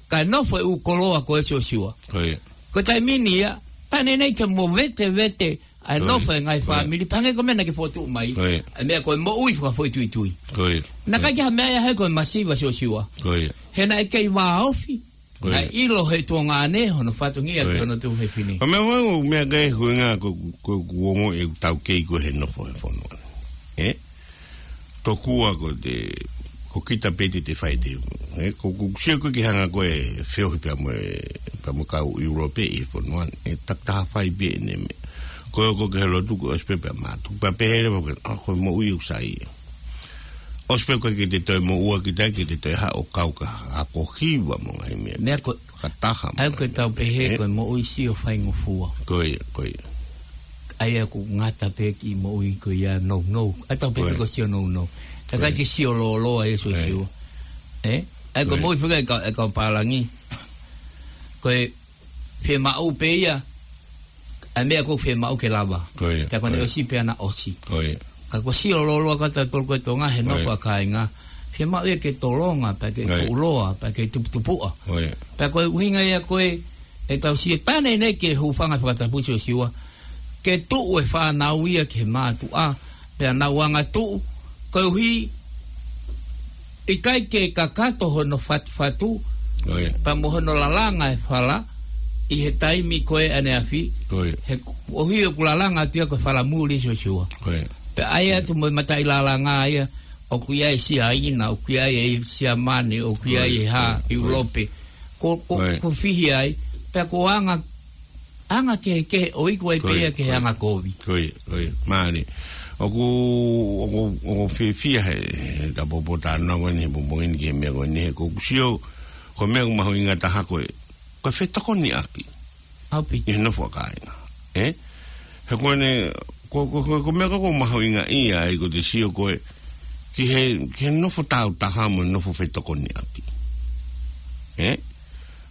kae nofo e ʻū koloa ko ē Siosiua. Ko ia. Ko e taimi ni ia, taʻe ʻi ai ha movetevete ʻa e, ko ia, nofo e ngaahi, ko ia, fāmili, pea hangē ko e meʻa naʻa ke fokotuʻu mai. Ko ia. ʻA e meʻa ko e moʻui fakafoʻituitui. Ko ia. Naʻe ʻikai ke ʻi ai ha meʻa ia he ko e masiva Siosiua. Ko ia. He naʻe kei vāofi, ko ia, naʻe ʻilo he tuongaʻane hono fatongia, ko ia, ki hono tuofefine. Ko e meʻa ʻoku ou, meʻa ko ē ʻoku ou ʻuhinga ko, ko, ʻoku ou ongoʻi ʻeku taukei ko ē he nofo he fonua ni. Ē? Tokua ko te, ko kita pē te te fai te. Ē? Ko, ko sio ko ē ki he anga ko ē feohi pea mo e, pea mo e kau ʻIulope ʻi he fonua ni. Ē, takitaha fai pē ʻene meʻa. Ko ē ʻoku ke helo tuku ʻosi pē pea mātuku. Pea pehē leva ko ē, ʻa, ko e moʻui ʻoku sai ia. ʻOsi pē ko ē ke te toe moʻua kita ke te toe haʻu ʻo kau ka ako hiva mo e ngaahi meʻa. Meʻa ko ē, fakataha ʻa ia mo e ko e tau pehē, ē, ko e moʻui sio faingofua. Ko ia, ko ia. ʻA ia ʻoku ngata pē ki he moʻui ko ia nounou. ʻA ia tau pehē, ko ia, ko e sio nounou. Ka, ko ia, ʻikai ke sio lōloa ia Siosiua. Ē? Ē? ʻA ia ko e, ko ia, moʻui fika e kau, e kau pālangi. Ko e fiemaʻu pē ia, ʻa e meʻa ʻoku fiemaʻu ke lava. Ko ia, pea ko ʻene, ko ia, ʻosi pea naʻe ʻosi. Ko ia. Ka ko e sio lōloa ka ta tolu ko e Tonga he, ko ia, nofo ʻa kāinga. Fiemaʻu ia ke tolonga, pea ke, ko ia, tuʻuloa, pea ke tuputupuʻa. Ko ia. Pea ko e ʻuhinga ia ko ē, ʻe tau sio taʻe ʻi ai ha hūfanga he fakatapu Siosiua. Ke tuʻu e fānau ia ki he mātuʻa, pea nau angatuʻu, koeʻuhi ʻikai ke kakato hono fatufatu, ko ia, pea mo hono lalanga e fala, ʻi he taimi ko ē ʻaneafi, ko ia, he koeʻuhi ʻoku lalanga atu ia ko e fala muli Siosiua. Ko ia. Pea ʻai atu mo e mataʻi lalanga ia, ʻoku ʻi ai e Siaina, ʻoku ʻi ai e Siamane, ʻoku ʻi ai e hā, ko ia, ko ia, ʻIulope. Ko, ko, ko ia, ko e fihi ai, pea ko e anga anga kehekehe ʻo iku ai pē ia ki he, ko ia, anga kovi. Ko ia, ko ia. Mālie. ʻOku, ʻoku, ʻoku ou fiefia he, he ta popo ta na ko eni he popo eni ki he meʻa ko eni he ʻoku ou sio, ko e meʻa ʻoku mahuʻinga taha ko e, ko e fetokoniʻaki. ʻAupito. ʻI he nofo ʻa kāinga. Ē? He ko ʻene, ko, ko, ko, ko e meʻa ko ē ʻoku mahuʻinga ia ai ko ʻete sio ko ē ki he, ki he nofo tāutaha mo e nofo fetokoniʻaki. Ē?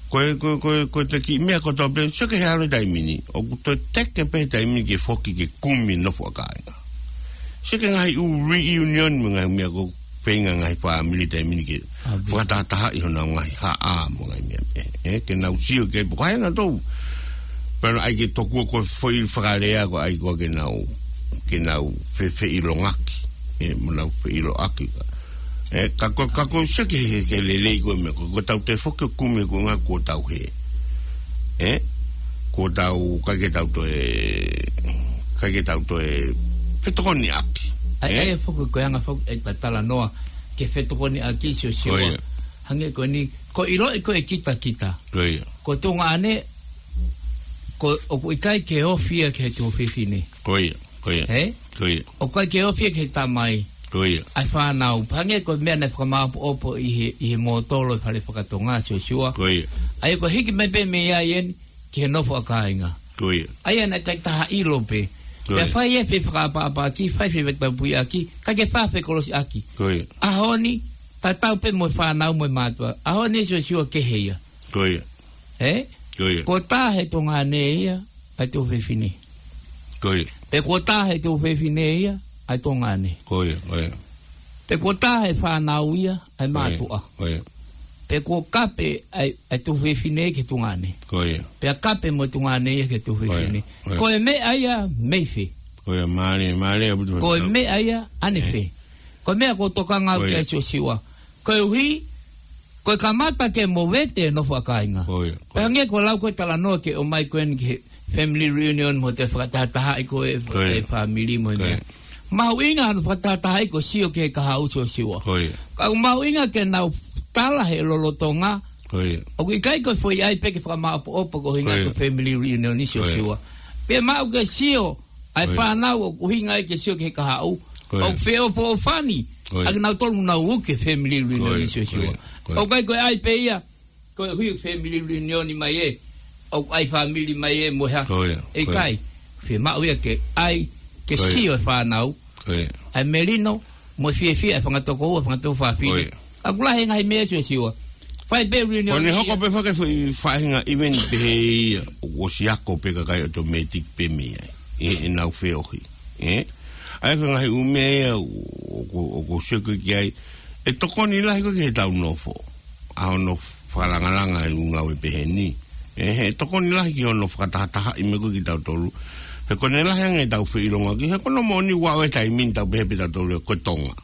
Ko e, ko e, ko e, ko ʻete kiʻi meʻa kotoa pē, sio ki he ʻalu he taimi ni, ʻoku toe teke pē he taimi ni ke foki ke kumi nofo ʻa kāinga. Sio ki he ngaahi ʻū reunion mo e ngaahi meʻa ko ē feinga ngaahi fāmili taimi ni ke fakatahatahaʻi honau ngaahi haʻa mo e ngaahi meʻa pē. Ē, ke nau sio ki ai pe ko hai nautolu. Pea naʻe ʻai ke tokua ko e foʻi fakalea ko ē ʻai ko ē ke nau, ke nau fe, feʻilongaki. Ē, mo nau feʻiloʻaki. Ē, ka ko, ka ko sio ki he, he lelei ko ē meʻa, ko, ko ʻetau toe foki ʻo kumi ko e ʻuhinga kuo tau hē. Ē, kuo tau, ʻikai ke tau toe, ʻikai ke tau toe fetokoniʻaki. ʻAi, ē? ʻAi, foki ko e anga foki ʻeta talanoa ki he fetokoniʻaki Siosiua. Ko ia. Hangē ko eni, ko e ʻiloʻi ko ē kitakita. Ko ia. Ko Tonga ʻanai, ko, ʻoku ʻikai ke ofi ia ki he tuofefine. Ko ia, ko ia. Ē? Ko ia. ʻOku ʻikai ke ofi ia ki he tamai. Ko ia. ʻA e fānau. Hangē ko e meʻa naʻe fakamāʻopoʻopo ʻi he, ʻi he mōtolo ʻi he fale fakatonga Siosiua. Ko ia. ʻA ia ko e hiki mai pē mei ai eni, ki he nofo ʻa kāinga. Ko ia. ʻA ia naʻe takitaha ʻilo pē. Ko ia. Pea fai e fefakaʻapaʻapaʻaki, fai e fefetaupuiʻaki, kae ke fai e fekolosiʻaki. Ko ia. ʻAho ni, tatau pē mo e fānau mo e mātuʻa. ʻAho ni Siosiua kehe ia. Ko ia. Ē? Ko ia. Kuo tā he tuongaʻane ia, ʻa e tuofefine. Ko ia. Pe kuo tā he tuofefine ia, ʻa e tuongaʻane. Ko ia, ko ia. Pe kuo tā he fānau ia, ʻa e mātuʻa. Ko ia. Pe kuo kape ʻa e, ʻa e tuofefine ki he tuongaʻane. Ko ia. Pea kape mo e tuongaʻane ia ki he tuofefine. Ko ia, ko ia. Ko e meʻa ia mei fē? Ko ia, mālie, mālie, ʻaupito. Ko e meʻa ia ʻanefē? Ē. Ko e meʻa ʻoku ou tokanga au ki ai Siosiua. Ko ia. Koeʻuhi, ko e kamata ke movete e nofo ʻa kāinga. Ko ia, ko ia. Pea hangē ko e lau ko ē talanoa ke ʻomai ko eni ki he family reunion mo e fakatahatahaʻi ko ē, ko ia, e fāmili mo e meʻa. Ko ia. Mahuʻinga hono fakatahatahaʻi ko e sio ki he kahaʻu Siosiua. Ko ia. Ka ʻoku mahuʻinga ke nau tala he lolotonga. Ko ia. ʻOku ʻikai ko e foʻi ʻai pē ke fakamāʻopoʻopo ko e ʻuhinga ko ia, ko e family reunion ni Siosiua. Ko ia. Pea maʻu ke sio ʻa e, ko ia, fānau ʻoku ʻuhinga ai ke sio ki he kahaʻu. Ko ia. ʻOku feʻofoʻofani. Ko ia. ʻA kinautolu naʻa nau uke family reunion ni Siosiua. Ko ia. Ko ia. ʻOku ʻikai ko e ʻai pē ia, ko e hui family reunion ni mai ē, ʻoku ʻai fāmili mai ē mo e hā. Ko ia. ʻE ʻikai. Ko ia. Fiemaʻu ia ke ʻai, ke, ko ia, sio e fānau. Ko ia. ʻA e melino, mo e fiefia e fanga tokoua, fanga tuofāfine. Ko ia. Ka ʻoku lahi e ngaahi meʻa Siosiua. Fai pē reunion ia. Ko ʻene hoko pē foki e foʻi faʻahinga event pehē ia, ʻoku ʻosi ako pē kakai automatic pē mei ai. ʻE, ʻenau feohi. Ē? ʻA ia ko e ngaahi ʻū meʻa ia, ʻoku, ʻoku sio ko ē ki ai. ʻE tokoni lahi ko ē ki heʻetau nofo. ʻA hono fakalangalanga e ʻū ngāue pehē ni. Ē, he tokoni lahi ki hono fakatahatahaʻi mai ko ē kitautolu. He ko ʻene lahi ange ʻetau feʻilongaki, he ko hono moʻoni ʻoku ʻi ai e taimi ni tau pehē pē tautolu ko e Tonga.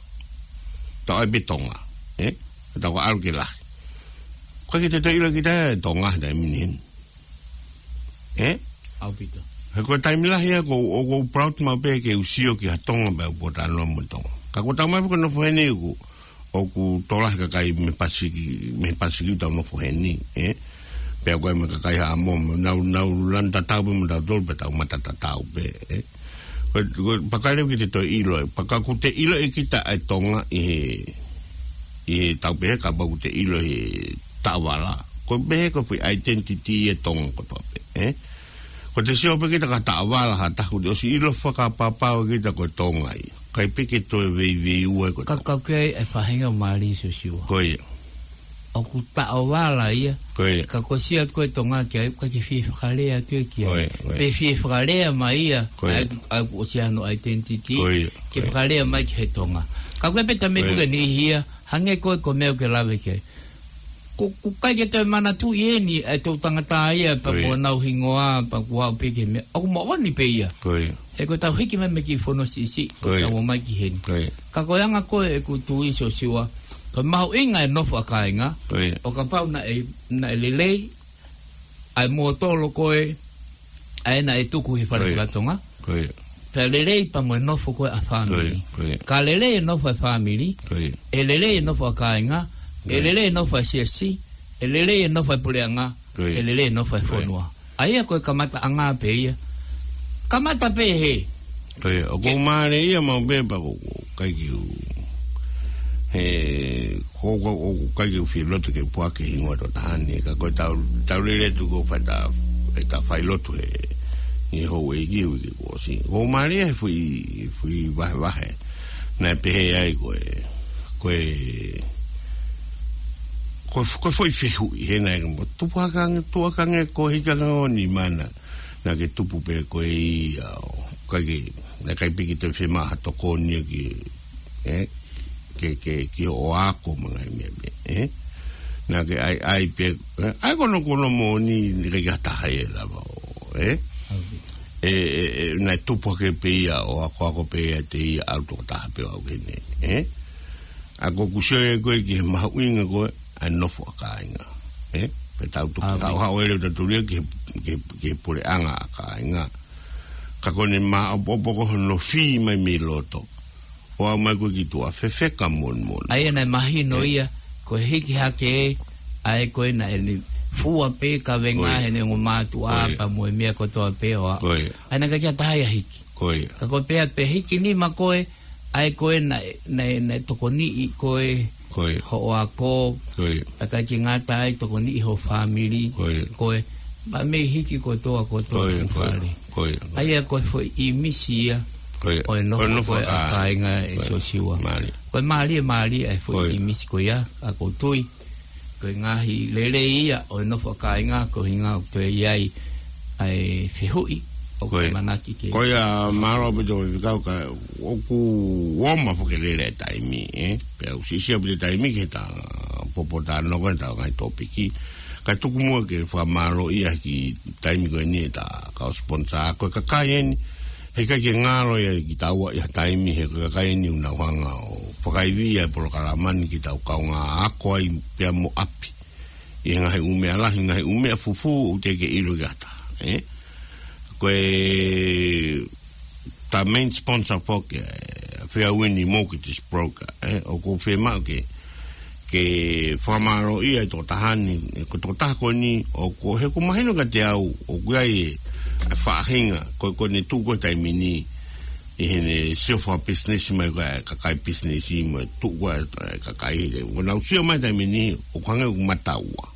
Tau ʻai pē Tonga. Ē? Tau ka ʻalu ke lahi. Ko e ʻikai ke te toe ʻilo kita e Tonga he taimi ni heni. Ē? ʻAupito. He ko e taimi lahi ia ʻoku, ʻoku ou proud maʻu pē ke u sio ki ha Tonga pea u pōtalanoa mo e Tonga. Ka ko ʻetau mai pē ko e nofo heni ʻoku, ʻoku tokolahi e kakai mei Pasifiki, mei Pasifiki ʻoku tau nofo heni, ē? Pea ko e mo e kakai Haʻamoa, nau, nau lanu tatau pē mo tautolu pea tau mata tatau pē, ē? Ko, ko, pea ʻikai leva ke te toe ʻilo, pea ka ʻoku te ʻiloʻi kita ʻa e Tonga ʻi he, ʻi heʻetau pehē kapau ʻoku te ʻilo he taʻovala. Ko e pehē ko e foʻi identity e Tonga kotoa pē, ē? Ko ʻete sio pē kita ki ha taʻovala ha taha ʻoku te ʻosi ʻilo fakapapau kita ko e Tonga ia. ʻIkai pē ke toe veiveiua ko e Tonga. Ka, ka ʻoku ʻi ai e faʻahinga mālie Siosiua. Ko ia. ʻOku taʻovala ia. Ko ia. Ka ko e sio ko ē Tonga ki ai, ʻoku ʻikai ke fie fakalea atu ia ki ai. Ko ia, ko ia. Pe fie fakalea mai ia. Ko ia. ʻA e, ʻa e ʻoku ʻosi ʻi ai hono identity. Ko ia, ko ia. Ke fakalea mai ki he Tonga. Ka ko e pē taimi, ko ia, ko eni ia, hangē ko e, ko e meʻa ʻoku ke lave ki ai. Ko, ʻoku ʻikai ke toe manatuʻi eni ʻa e toʻutangata ia, pea, ko ia, mo honau hingoa, pea kuo aʻu pē ki he meʻa. ʻOku moʻoni pē ia. Ko ia. He ko ʻetau hiki mai mei he kiʻi fono siʻisiʻi, ko ia, ʻetau ō mai ki heni. Ko ia. Ka ko e anga ko ē ʻeku tui Siosiua, ko e mahuʻinga e nofo ʻa kāinga, ko ia, ʻo kapau naʻe, naʻe lelei ʻa e mōtolo ko ē, ʻa ē naʻe tuku he fale, ko ia, fakatonga. Ko ia. Pea lelei pea mo e nofo ko ē ʻa e fāmili. Ko ia, ko ia. Ka lelei e nofo ʻa e fāmili, ko ia, ʻe lelei e nofo ʻa kāinga, ko ia, ʻe lelei e nofo ʻa e siasi, ʻe lelei e nofo ʻa e puleʻanga, ko ia, ʻe lelei e nofo ʻa e, ko ia, fonua. ʻA ia ko e kamataʻanga pē ia. Kamata pē hē. Ko ia, ʻoku, ke, mālie ia maʻu pē pea ʻoku, ʻoku ʻikai ke u, he, ko, ko, ʻoku ʻikai ke u fie loto ke u puake hingoa ʻo e tokotaha ni, ka ko ʻetau, tau lele atu ko e fai ʻeta, ʻeta failotu he, ʻi he houʻeiki uike kuo ʻosi. Ko e mālie he foʻi, foʻi vahevahe. Naʻe pehē ai ko e, ko e, ko e, ko e foʻi fehuʻi, he naʻe mo tupu hake ange, tuʻu hake ange ko e hiki ange ʻo e nima na. Naʻa ke tupu pē koe ia, ʻo, ʻikai ke, naʻe ʻikai pē ke toe fiemaʻu ha tokoni ia ki, ē? Ke, ke, ki hoʻo ako mo e ngaahi meʻa pē, ē? Naʻa ke ʻai, ʻai pē, ē? ʻAi ko hono, ko hono moʻoni, naʻe ʻikai ke ʻi ai ha taha ia ʻe lava ʻo, ē? ʻE, ʻe, ʻe, naʻe tupu hake pē ia ʻo akoako pē ia ʻiate ia ʻalu tokotaha pē ʻo aʻu ki heni, ē? ʻA ko ʻeku sio ia ko ē ki he mahuʻinga ko ē ʻa e nofo ʻa kāinga, ē? Pea tau toki haʻohaʻo ʻo lele ʻo tau tulia ki he, ki he, ki he puleʻanga ʻa kāinga. Ka ko ʻene maʻopoʻopo ko hono fī mai mei loto. ʻO aʻu mai ko ē ki tuʻa fefeka moʻoni moʻoni. ʻA ia naʻe mahino ia, ko e hiki hake ē, ʻa ē ko ē naʻe fua pē kavenga heʻene ongo mātuʻa pea mo e meʻa kotoa pē ʻo aʻu. ʻA ia naʻe ʻikai ke ʻi ai ha taha ia hiki. Ka ko e pehē pē hiki nima ko ē, ʻa ē ko ē naʻe, naʻe, naʻe tokoniʻi ko ē hoʻo ako, pea ʻikai ke ngata ai tokoniʻi ho fāmili, ko ē, mei hiki kotoa kotoa ʻa e fale. ʻA ia ko e foʻi ʻīmisi ia ʻo e nofo ko ē ʻa kāinga ʻe Siosiua. Ko e mālie, mālie ʻa e foʻi ʻīmisi ko ia, ʻa ʻoku ou tui ko e ngaahi lelei ia ʻo e nofo ʻa kāinga, ko e ʻuhinga ʻoku toe ʻi ai ʻa e fehuʻi ʻoku ou ʻamanaki ke. Ko ia, mālō ʻaupito Faifekau, ka ʻoku ʻomai foki e lele e taimi, ē? Pea ʻoku siʻisiʻi ʻaupito e taimi ki heʻetau popo talanoa ko ē ʻetau ngaahi tōpiki. Kae tuku muʻa ke fakamālōʻia he kiʻi taimi ko eni ʻetau kau sponsor, ko e kakai eni, heʻikai ke ngalo ia kitaua ʻi ha taimi, he ko e kakai eni ʻoku nau hanga ʻo fakaivia e polokalama ni ke tau kaungā ako ai pea mo ʻapi ʻi he ngaahi ʻū meʻa lahi, ngaahi ʻū meʻa fufū ʻoku teʻeki ke ʻilo ʻe ha taha, ē? Ko e, ʻetau main sponsor foki, ē, Fairwind Mortgage Broker, ē? ʻOku ou fiemaʻu ke, ke fakamālōʻia e tokotaha ni, ē, ko e tokotaha ko eni, ʻoku, he ʻoku mahino kiate au ʻoku ʻi ai e, e faʻahinga, ko, ko ʻene tuʻu ko ē he taimi ni, ʻi heʻene sio fakapisinisi mai ko ē ʻa e kakai pisinisi mo e tuʻu ko ē ʻa e kakai heke. Ko ʻenau sio mai he taimi ni, ʻoku hangē ʻoku mata ua.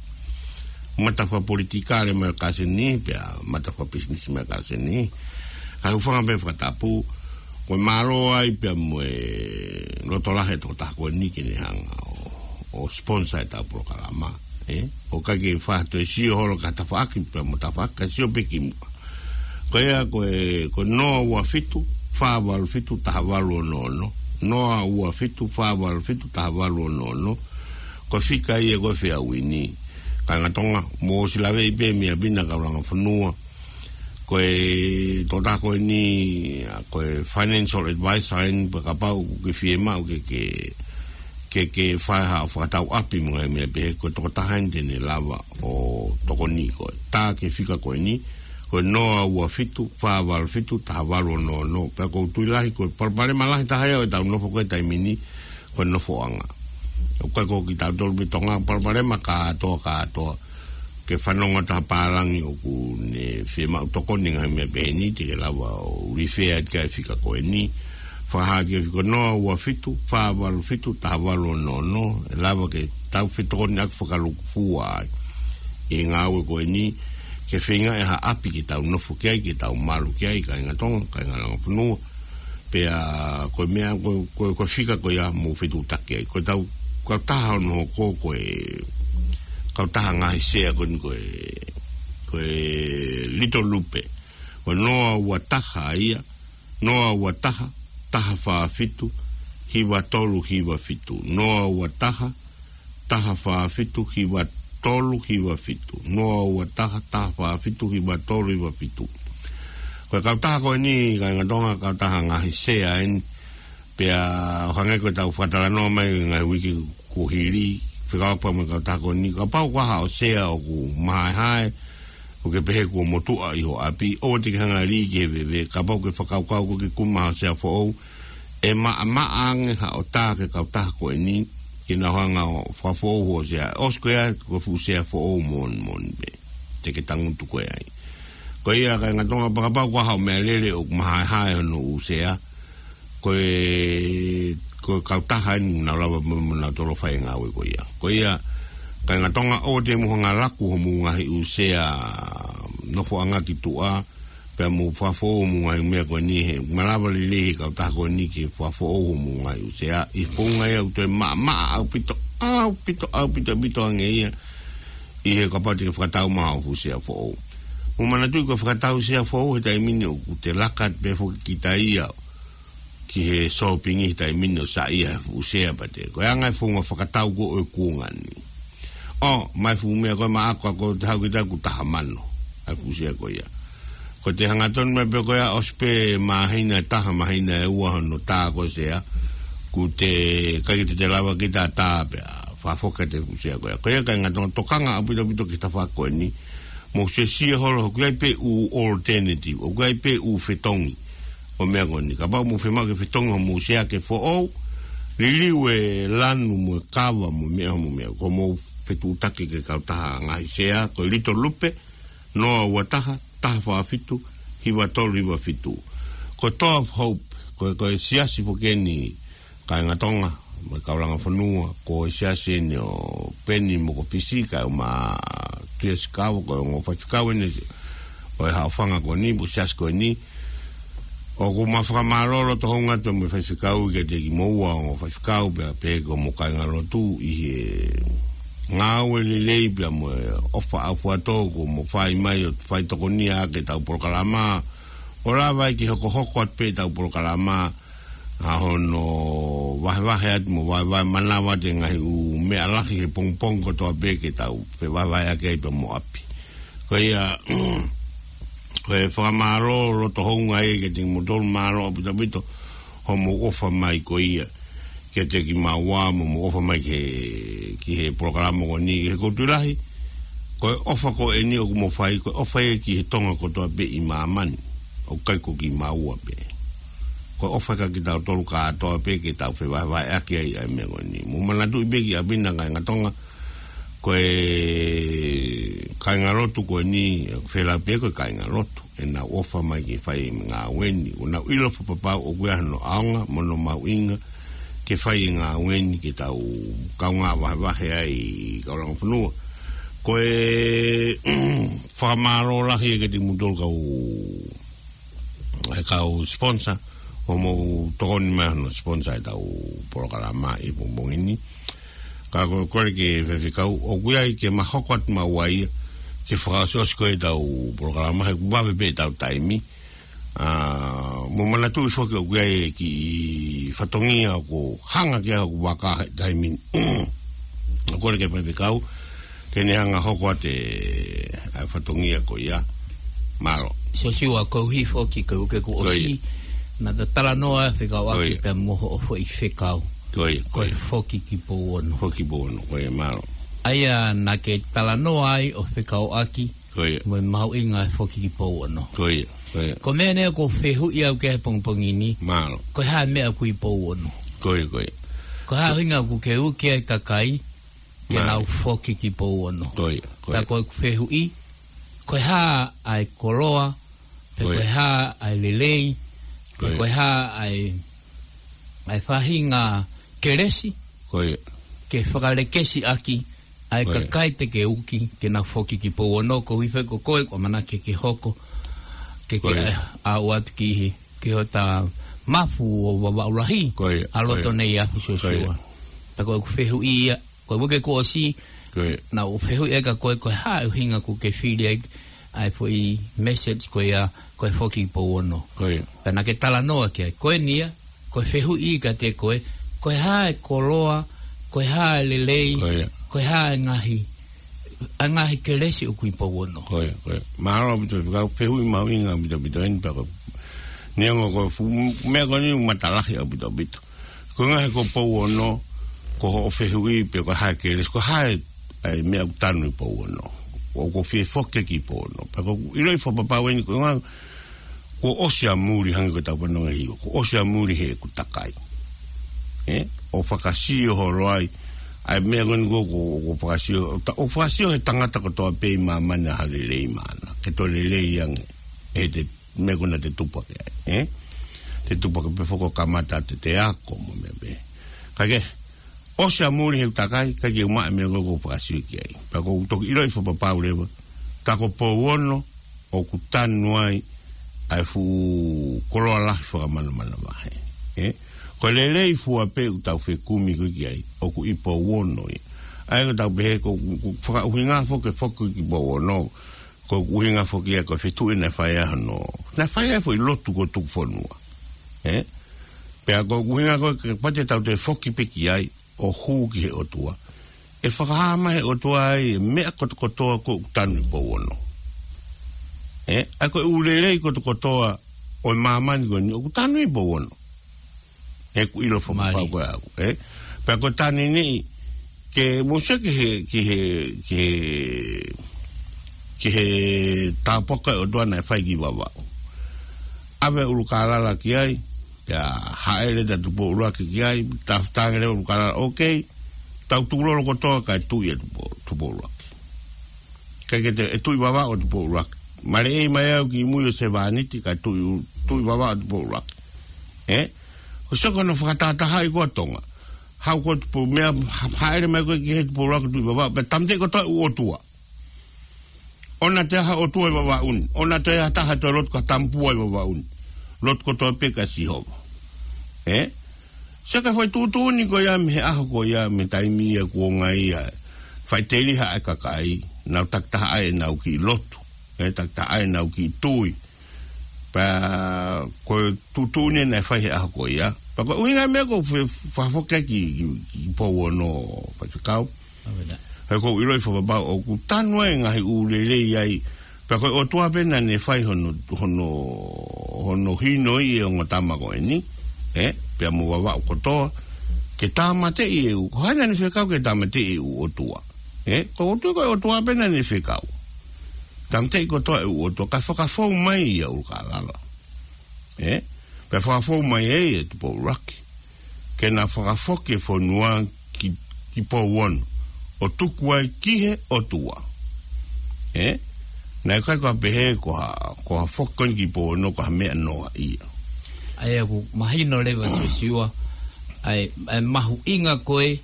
Mata fakapolitikale mai ʻa Kaseni, pea mata fakapisinisi mai ʻa Kaseni. Ka ʻoku ou fakaʻamu pē fakatapu, ko e mālō ai pea mo e loto lahi e tokotaha ko eni ke ne hanga ʻo, ʻo sponsor ʻetau polokalama. Ē? ʻOku ʻikai ke faʻa toe sio holo ki ha tafaʻaki pea mo e tafaʻaki, ka sio pē ki muʻa. Ko ia ko e, ko e noa ua fitu, fā valu fitu, taha valu ono ono. Noa ua fitu, fā valu fitu, taha valu ono ono. Ko e fika ia ko ē Fairwind. Kāinga Tonga, mou ʻosi laveʻi pē mei ʻapi na, kau langa fonua. Ko e tokotaha ko eni, ʻa, ko e financial advisor eni, pea kapau ʻoku ke fiemaʻu ke, ke, ke, ke fai haʻo fakatau ʻapi mo e ngaahi meʻa pehē, ko e tokotaha eni te ne lava ʻo tokoniʻi koe. Tā ki he fika ko eni, ko e noa ua fitu, fā valu fitu, taha valu ono ono. Pea ʻoku ou tui lahi, ko e palopalema lahi taha ia ʻo ʻetau nofo ko ē he taimi ni, ko e nofoʻanga. ʻOku ʻikai ko kitautolu pē Tonga, palopalema kātoa, kātoa. Ke fanongo atu ha pālangi ʻoku ne fiemaʻu tokoni he ngaahi meʻa pehē ni, te ke lava ʻo refer atu ki he fika ko eni. Fakahā ki he fika noa ua fitu, fā valu fitu, taha valu ono ono, ʻe lava ke tau fetokoniʻaki fakalūkufua ai ʻi he ngāue ko eni, ke feinga ʻe ha ʻapi ke tau nofo ki ai, ke tau malu ki ai, kāinga Tonga, kāinga langa fonua. Pea ko e meʻa, ko, ko, ko e fika ko ia mou fetuʻutaki ai. Ko ʻetau kautaha hono hoko ko e kautaha ngaahi sea ko eni ko e, ko e Little Lupe. Ko e noa ua taha ia, noa ua taha, taha fā fitu, hiva tolu hiva fitu. Noa ua taha, taha fā fitu hiva tolu hiva fitu. Noa ua taha, taha fā fitu hiva tolu hiva fitu. Ko e kautaha ko eni, kāinga Tonga, kautaha ngaahi sea eni. Pea ʻo hangē ko ʻetau fakatalanoa mai ngaahi uike kuo hili, fekauʻaki pea mo e kautaha ko eni. Kapau ko ha haʻo sea ʻoku mahaehae, ʻoku ke pehē kuo motuʻa ʻi ho ʻapi, ʻoua te ke hanga lī ki he veve, kapau ʻoku ke fakakaukau ʻoku ke kumi haʻo sea foʻou, ʻe maʻamaʻa ange haʻo tā ki he kautaha ko eni, ke nau hanga ʻo fakafoʻou hoʻo sea. ʻOsi ko ia, ko e fuʻu sea foʻou moʻoni moʻoni pē te ke tangutu koe ai. Ko ia kāinga Tonga, pea kapau ko ha haʻo meʻalele ʻoku mahaehae hono ʻū sea, ko e, ko e kautaha eni ʻoku nau lava mo, mo nau tolo fai e ngāue ko ia. Ko ia kāinga Tonga, ʻoua te mou hanga laku homou ngaahi ʻū sea nofoʻanga ki tuʻa, Pea mou fakafoʻou homou ngaahi meʻa ko eni he, malava lelei he kautaha ko eni ke fakafoʻou homou ngaahi ʻū sea. ʻI he founga ia ʻoku toe maʻamaʻa ʻaupito, ʻaupito, ʻaupito, ʻaupito ange ia. ʻI he kapau te ke fakatau mai haʻo fuʻu sea foʻou. Mou manatuʻi ko e fakatau sea foʻou he taimi ni ʻoku te laka atu pē foki kita ia ki he sōpingi he taimi ni ʻo saiʻia he fuʻu sea pea te. Ko e anga e founga fakatau ko ē ʻo e kuonga ni. ʻO, mai fuʻu meʻa ko ē maʻa ko ē te hau kita ʻoku taha mano. ʻA e fuʻu sea ko ia. Ko e te hangatonu mai pē ko ia ʻosi pē māhina ʻe taha māhina ʻe ua hono tā ko ē sea. ʻOku teʻeki ke te lava kita tā pea. Fakafoki atu e fuʻu sea ko ia. Ko ia kāinga Tonga tokanga ʻaupito ʻaupito ki he tafaʻaki ko eni. Mou sio sio holo ʻoku ʻi ai pē ʻū alternative. ʻOku ʻi ai pē ʻū fetongi. ʻO e meʻa ko eni. Kapau mou fiemaʻu ke fetongi homou sea ke foʻou. Liliu e lanu mo e kava mo e meʻa homou meʻa. Ko hoʻomou fetuʻutaki ki he kautaha ngaahi sea. Ko e Little Lupe, noa ua taha, taha fā fitu, hiva tolu hiva fitu. Ko e Door of Hope, ko e, ko e siasi foki eni kāinga Tonga, mo e kaulanga fonua, ko e siasi eni ʻo Peni Mokopisi, kae ʻumaʻā Tuʻia Sikawa, ko e ongo faifekau eni ʻo e haʻofanga ko eni, mo e siasi ko eni. ʻOku ma fakamālō loto hounga atu mo e faifekau kiate kimoua ongo faifekau pea pehē ki hoʻomou kāingalotu ʻi he ngāue lelei pea mo e ʻofa ʻaufuatō kuo mou fai mai ʻo fai tokonia ʻaki ʻetau polokalama. ʻO lava ai ke hokohoko atu pē ʻetau polokalama ʻa hono vahevahe atu mo vahevahe manava atu e ngaahi ʻū meʻa lahi he pongipongi kotoa pē ke tau fevahevaheʻaki ai pea mo ʻapi. Ko ia, ko e fakamālō loto hounga ia kiate kimoutolu, mālō ʻaupito ʻaupito hoʻomou ʻofa mai ko ia kiate kimaua mo hoʻomou ʻofa mai ki he, ki he polokalama ko eni, ki he Koutu Lahi. Ko e ʻofa ko eni ʻoku mou fai, ko e ʻofa ia ki he Tonga kotoa pē ʻi māmani. ʻOku ʻikai ko kimaua pē. Ko e ʻofa ia kia kitautolu kātoa pē ke tau fevahevaheʻaki ai ʻa e meʻa ko eni. Mou manatuʻi pē ki ʻapi na kāinga Tonga, ko e kāingalotu ko eni, fēlā pē ko e kāingalotu. ʻEnau ʻofa mai ke fai e ngāue ni. ʻOku nau ʻilo fakapapau ʻoku ʻi ai hano ʻaonga, mo hono mahuʻinga, ke fai e ngāue ni ke tau kaungā vahevahe ai kaulanga fonua. Ko e fakamālō lahi ia kiate kimoutolu kau e kau sponsor, hoʻomou tokoni mai hono sponsor ʻetau polokalama ʻi he pongipongi ni. Ka ko e kole ki he faifekau, ʻoku ʻi ai ke ma hoko atu maua ia, ke fakaʻosiʻosi ko ē ʻetau polokalama, he ʻoku vave pē ʻetau taimi. ʻA, mou manatuʻi foki ʻoku ʻi ai e kiʻi fatongia ʻoku hanga ki ai hoku vaka he taimi ni. ʻOku kole ki he faifekau, ke ne hanga hoko atu e, ʻa e fatongia ko ia. Mālō. Siosiua, koeʻuhi foki ko e uike kuo ʻosi, naʻa ta talanoa fekauʻaki pea mo hoʻo foʻi fekau. Ko ia, ko e foki ki Pouono. Foki Pouono, ko ia, mālō. ʻA ia naʻa ke talanoa ai ʻo fekauʻaki mo e mahuʻinga e foki ki Pouono. Ko ia, ko ia. Ko e meʻa eni ʻoku ou fehuʻi au ki ai he pongipongi ni. Mālō. Ko e hā e meʻa ʻoku ʻi Pouono? Ko ia, ko ia. Ko e hā e ʻuhinga ʻoku ke ui ki ai e kakai ke nau foki ki Pouono? Ko ia, ko ia. Pea ko ʻeku fehuʻi, ko e hā ʻa e koloa, pe ko e hā ʻa e lelei, pe ko e hā ʻa e, ʻa e faʻahinga kelesi, ko ia, ke fakalekesiʻaki ʻa e kakai te ke uki ke nau foki ki Pouono, koeʻuhi foki ko koe ʻoku ʻamanaki ke hoko, ke ke ʻalu atu ki he, ki hota mafu ʻo Vavaʻu Lahi, ʻa loto nei ʻa Siosiua. Pea ko ʻeku fehuʻi ia, ko e uike kuo ʻosi, naʻa ku fehuʻi ai kia koe, ko e hā e ʻuhinga ʻoku ke fili ai ʻa e foʻi message ko ia, ko e foki Pouono. Pea naʻa ke talanoa ki ai, ko eni ia, ko e fehuʻi kiate koe, ko e hā e koloa, ko e hā e lelei, ko e hā e ngaahi, ʻa e ngaahi kelesi ʻoku ʻi Pouono. Ko ia, ko ia. Mālō ʻaupito, ka ko e fehuʻi mahuʻinga ʻaupito ʻaupito eni pea ko e, neongo ko e fuʻu meʻa ko eni ʻoku matalahi ʻaupito ʻaupito. Ko e ʻuhinga he ko Pouono, ko hoʻo fehuʻi pe ko e hā e kelesi, ko e hā e, ʻa e meʻa ʻoku tanu ʻi Pouono. ʻOku ou fie foki ki Pouono. Pea ʻoku ou ʻiloʻi fakapapau eni, ko e ʻuhinga kuo ʻosi ʻa muli hangē ko ʻetau fanongo ʻi he hiva. Kuo ʻosi ʻa muli heʻeku takai. ʻE? ʻO fakasio holo ai. ʻA e meʻa ko eni ko, ko, ko fakasio, ta-, ʻo fakasio he tangata kotoa pē ʻi māmani ha lelei maʻana. Ke toe lelei ange. ʻE te meʻa ko ena te tupu hake ai, ē? Te tupu hake pē foki ʻo kamata atu ʻete ako mo e meʻa pē. Ka ke, ʻosi ʻa muli heʻeku takai, ka ke ʻumaʻā e meʻa ko ē ʻoku ou fakasio ki ai. Pea ʻoku ou toki ʻiloʻi fakapapau leva, ka ko Pouono, ʻoku tanu ai, ʻa e fuʻu koloa lahi fakamanamanavahē. Ē? Ko e lelei fua pē ʻoku tau fekumi ko ē ki ai, ʻoku ʻi Pouono ia. ʻA ia ko ʻetau pehē ko, ko fakaʻuhinga foki ke foki ki Pouono, ko e ʻuhinga foki ia ko e fetuʻu naʻe fai ai hono, naʻe fai ai foʻi lotu ko e tuku fonua. Ē? Pea ko e ʻuhinga ko ē kapau te tau toe foki pē ki ai, ʻo hū ki he ʻOtua, ʻe fakahā mai he ʻOtua ai e meʻa kotokotoa ko ē ʻoku tanu ʻi Pouono. Ē, ʻa ia ko e ʻū lelei kotokotoa ʻo e māmani ko eni ʻoku tanu ʻi Pouono. Ē, ʻoku ʻilo fakapapau ko ē ʻaʻaku, ē. Pea ko e taimi ni, ke mou sio ki he, ki he, ki he, ki he tāpuaki ʻa e ʻOtua naʻe fai ki Vavaʻu. ʻAve ʻUlukālala ki ai, pea hāʻele ʻa Tupou ʻUluaki ki ai, tā, tānaki leva ʻUlukālala, okay, tau tukulolo kotoa kae tuʻi ʻa Tupou, Tupou ʻUluaki. Kae kehe ʻe tuʻi Vavaʻu ʻa Tupou ʻUluaki. Maleʻei mai au ki mui ʻo sevāniti kae tuʻi, tuʻi Vavaʻu ʻa Tupou ʻUluaki. Ē? Ko e sio ko hono fakatahatahaʻi ko ē ʻa Tonga. Haʻu ko ē Tupou, meʻa, ha-, hāʻele mai ko ē ki he Tupou ʻUluaki tuʻi Vavaʻu, pea tāmateʻi kotoa e ʻū ʻotua. ʻOua toe ʻi ai ha ʻotua ʻi Vavaʻu ni. ʻOua toe ʻi ai ha taha ʻe toe lotu ki ha tamapua ʻi Vavaʻu ni. Lotu kotoa pē kia Sihova. Ē? Sio ki he foʻi tuʻutuʻuni ko ia mei he ʻaho ko ia, mei he taimi ia kuo ngata ai. Faʻiteliha ʻa e kakai, nau takitaha ʻa ʻenau kiʻi lotu. Ē, takitaha ʻa ʻenau kiʻi tui. Pea ko e tuʻutuʻuni naʻe fai he ʻaho ko ia. Pea ko e ʻuhinga e meʻa ko e fe-, fakafoki ki, ki, ki Pouono, Faifekau. ʻAve na. He ʻoku ou ʻiloʻi fakapapau ʻoku tanu ai e ngaahi ʻū lelei ai. Pea ko e ʻOtua pē naʻa ne fai hono, hono, hono hinoʻi e ongo tama ko eni. Ē, pea mo Vavaʻu kotoa. Ke tāmateʻi e ʻū, ko hai naʻa ne fekau ke tāmateʻi e ʻū ʻotua. Ē, ko e ʻOtua, ko e ʻOtua pē naʻa ne fekau. Tāmateʻi kotoa e ʻū ʻotua, kae fakafou mai ia ʻUlukālala. Ē? Pea fakafou mai ai ʻa Tupou ʻUluaki. Ke na fakafoki e fonua ki, ki Pouono. ʻO tuku ai ki he ʻOtua. Ē? Naʻe ʻikai ko ha pehē ko ha, ko ha foki ko eni ki Pouono ko ha meʻa noa ia. ʻA ia ʻoku mahino leva Siosiua, ʻa e, ʻa e mahuʻinga ko ē,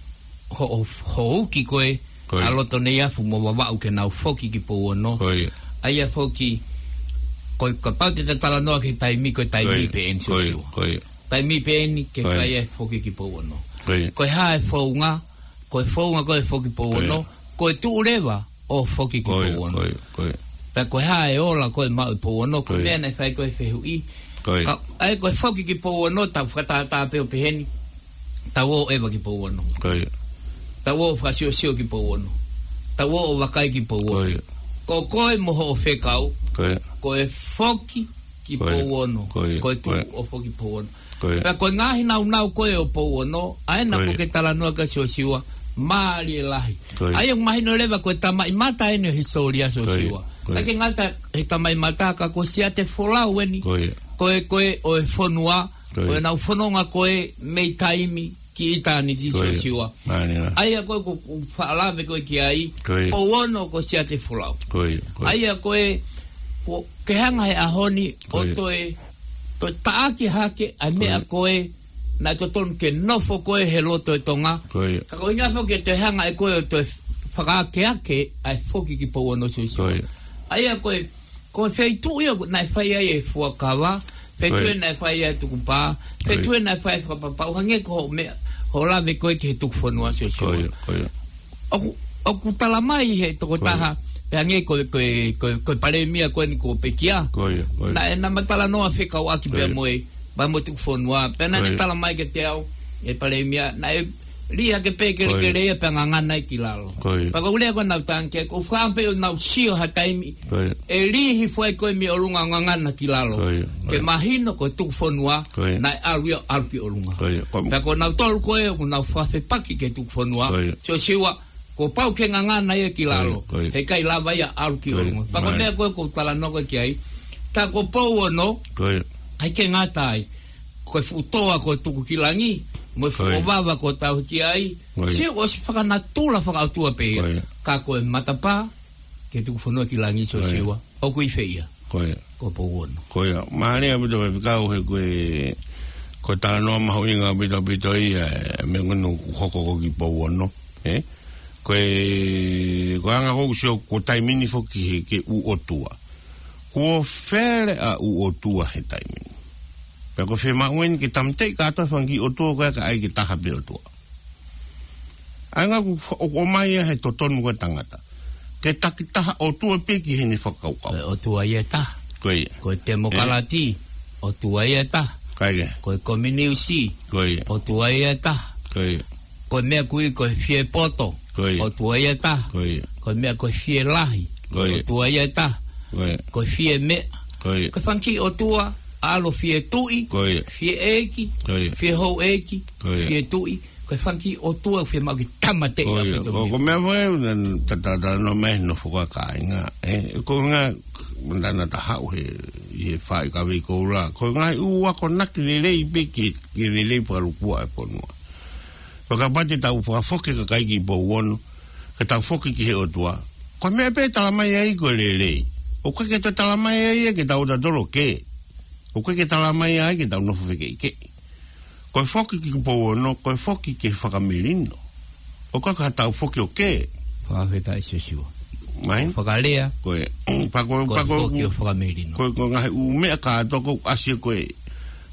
ho, ho, hoʻo uki ko ē, Ko ia. ʻA Lotoneiafu mo Vavaʻu ke nau foki ki Pouono. Ko ia. ʻA ia foki, ko e kapau te ta talanoa ki he taimi, ko e taimi Ko ia. pē eni Ko ia. Siosiua. Ko ia. Taimi pē eni ke Ko ia. fai e foki ki Pouono. Ko ia. Ko e hā e founga, ko e founga ko e foki Pouono, Ko ia. ko e tuʻu leva ʻo foki ki Ko ia. Pouono. Ko ia. Ko ia. Pea ko e hā e ola ko ē maʻu ʻi Pouono, ko e Ko ia. meʻa naʻe fai ko ē fehuʻi. Ko ia. Ka, ʻa ia ko e foki ki Pouono, tau fakatātā pē ʻo pehē ni. Tau ō ʻeva ki Pouono. Ko ia. Tau ō fakasiosio ki Pouono. Tau ō ʻo vakai ki Pouono. Ko ia. Ko koe mo hoʻo fekau. Ko ia. Ko e foki ki Ko ia. Pouono. Ko ia. Ko e Ko ia. tuʻu ʻo foki Pouono. Ko ia. Pea ko e ngaahi naunau ko ē ʻo Pouono, ʻa ena Ko ia. ko ē ke talanoa kia Siosiua, mālie lahi. Ko ia. ʻA ia ʻoku mahino leva ko e tamaʻimata eni ʻo e hisitōlia Ko ia. Siosiua. Ko ia. ʻIkai ke ngata he tamaʻimata ka ko Siatefolau eni. Ko ia. Ko e, ko e, ʻo e fonua, Ko ia. ʻo ʻenau fononga ko ē mei taimi ki ʻitāniti Ko ia. Siosiua. Mālie lahi. ʻA ia ko ē ʻoku, ʻoku faʻa lave ko ē ki ai, Ko ia. Pouono ko Siatefolau. Ko ia. Ko ia. ʻA ia ko ē, ko, ke hanga he ʻaho ni, Ko ʻo ia. toe, toe taʻaki hake, ʻa e Ko meʻa ia. ko ē, naʻe totonu ke nofo ko ē he loto ʻo Tonga. Ko ia. Ka ko e ʻuhinga foki ke toe hanga ʻe koe ʻo toe fakaakeake, ʻa e foki ki Pouono Siosiua. Ko ia. ʻA ia ko ē, Ko e feituʻu ia naʻe fai ai e fuakava, feituʻu Ko ia. naʻe fai ai e tukupā, Ko ia. feituʻu naʻe fai ai e fakapapau, hangē ko hoʻo meʻa, hoʻo lave ko ē ki he tuku fonua Siosiua. Ko ia, ko ia. ʻOku, ʻoku tala mai he tokotaha, Ko ia. pea hangē ko, ko, ko, ko e palēmia ko eni ko Pekia. Ko ia, ko ia. Naʻe, naʻá ma talanoa fekauʻaki Ko pea ia. mo e, pea mo e tuku fonua, pea naʻá ne Ko ia. tala mai kiate au, e palēmia, naʻe lī hake pē kelekele Ko ia. ia pea ngangana ia ki lalo. Ko ia. Pea ko e lea ko ē naʻá ku tangi ki ai, ʻoku ou fakaʻamu pē ʻo nau sio ha taimi. Ko ia. ʻE lī hifo ai ko ē mei ʻolunga ʻo ngangana ki lalo. Ko ia. Ko ia. Ke mahino ko e tuku fonua, Ko ia. naʻe ʻalu ia ʻo ʻalu ki ʻolunga. Ko ia. Ko Pea ko nautolu ko ē ʻoku nau fakafepaki ki he tuku fonua. Ko ia. Siosiua, kuo pau ke ngangana ia ki lalo. Ko ia. Ko ia. He ʻikai lava ia ʻo ʻalu ki Ko ia. ʻolunga. Pea ko e Mai. meʻa ko ē ʻoku ou talanoa ko ē ki ai. Tā ko Pouono, Ko ia. ʻikai ke ngata ai. Ko e fuʻu toa ko e tuku ki langi, mo e fuʻu Ko ia. ʻovava ko e tauhi ki ai. Ko ia. Sio, ʻosi fakanatula fakaʻotua pē ia. Ko ia. Ka ko e matapā, ke tuku fonua ki langi Ko ia. Siosiua. ʻOku ʻi fē ia? Ko ia. Ko Pouono. Ko ia. Mālie ʻaupito Faifekau he ko e, ko e talanoa mahuʻinga ʻaupito ʻaupito ia, ē, meʻa ko eni ʻoku hoko ko ē ki Pouono, ē? Ko e, ko e anga ko ē ʻoku sio ko e taimi ni foki he, ki he ʻū ʻotua. Kuo fele ʻa ʻū ʻotua he taimi ni. Pea ko e fiemaʻu eni ke tāmateʻi kātoa e fanga kiʻi ʻotua ko ē kae ʻai ke taha pē ʻOtua. ʻA e ngaahi ʻoku, ʻoku ʻomai ia he totonu ko ē tangata. Ke takitaha ʻotua pē ki heʻene fakakaukau. Ko e ʻotua ia ʻe taha. Ko ia. Ko e temokalati, ʻotua ia ʻe taha. Kae kehe. Ko e kominiusi, ko ia, ʻotua ia ʻe taha. Ko ia. Ko e meʻa ko ē ko e fie poto, ko ia, ʻotua ia ʻe taha. Ko ia. Ko e meʻa ko e fie lahi, ko ia, ʻotua ia ʻe taha. Ko ia. Ko e fie meʻa. Ko ia. Ko e fanga kiʻi ʻotua, ʻalu ʻo fie tuʻi, ko ia, fie ʻeiki, ko ia, fie houʻeiki, ko ia, fie tuʻi. Ko e fanga kiʻi ʻotua ʻoku fiemaʻu ke tāmateʻi. Ko ia. ʻApito ko, ko e meʻa foʻou ena ta, ta, ta, no me no foka kāinga. ʻE, ko e ngaahi, manda na ta haʻu he, ʻi he faʻahi kavei koula. Ko e ngaahi ʻū akonaki lelei pē ke, ke lelei fakalukua e fonua. Fakapati tau fakafoki e kakai ki Pouono, ke tau foki ki he ʻOtua. Ko e meʻa pē ʻe talamai ai ko e lelei. ʻOku ʻikai ke toe talamai ai ke tau tatolo ke. ʻOku ʻikai ke talamai ai ke tau nofo fekeʻikeʻi. Ko e foki ki Pouono, ko e foki ke fakamelino. ʻOku ʻikai ke tau foki ʻo ke. Fakafetaʻi Siosiua. Mai? Fakalea. Ko e, pea ko e, ko e pea ko e, foki ʻo fakamelino. Ko e, ko e ngaahi ʻū meʻa kātoa ʻoku ʻasi ko ē.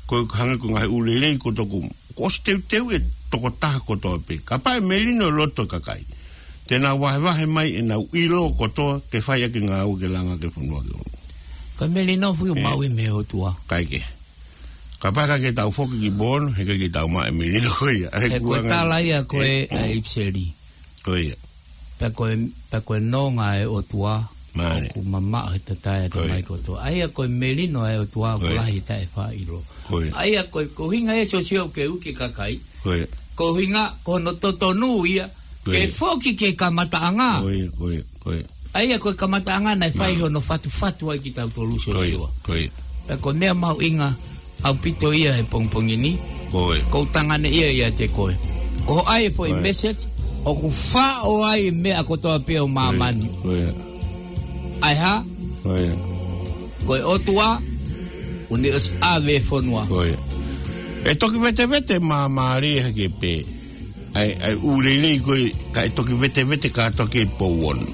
Ko e hangē ko e ngaahi ʻū lelei ko toku. Kuo ʻosi teuteu e tokotaha kotoa pē. Kapau ʻe melino e loto e kakai, te nau vahevahe mai ʻenau ʻilo kotoa ke fai ʻaki e ngāue ke langa ʻaki e fonua ke ʻunu. Ko e melino foki ʻoku maʻu ia mei he ʻOtua. Kae kehe. Kapau ʻe ʻikai ke tau foki ki Pouono, heʻikai ke tau maʻu e melino ko ia. He ko e kuanga tala ia ko ē ʻa e ʻipiseli. Ko ia. Pea ko e, pea ko e nonga ʻa e ʻOtua, mālie, ʻoku mamaʻo he tatae ʻa e, ko ia, tamai kotoa. ʻA ia ko e melino ʻa e ʻOtua, ko ia, ʻoku lahi e taʻefaʻaʻilo. Ko ia. ʻA ia ko e, ko e ʻuhinga ia Siosiua ʻoku ke ui ki he kakai. Ko ia. Ko e ʻuhinga, ko hono totonu ia, ko ia, ke foki ki he kamataʻanga. Ko ia, ko ia, ko ia. ʻA ia ko e kamataʻanga naʻe fai, mālie, hono fatufatu ai kitautolu, ko ia, Siosiua. Ko ia. Pea ko e meʻa mahuʻinga ʻaupito ia he pongipongi ni. Ko ia. ʻOku ou tanganeʻia ia ʻiate koe. Ko hoʻo ʻai e foʻi, ko ia, message, ʻoku faʻo ai e meʻa kotoa pē ʻo, ko ia, māmani. Ko ia. ʻA e hā? Ko ia. Ko e ʻOtua, ʻoku ne ʻosi ʻave e fonua. Ko ia. ʻE toki vetevete māmālie hake pē ʻa e, ʻa e ʻū lelei ko ē, kae toki vetevete kātoa ki Pouono.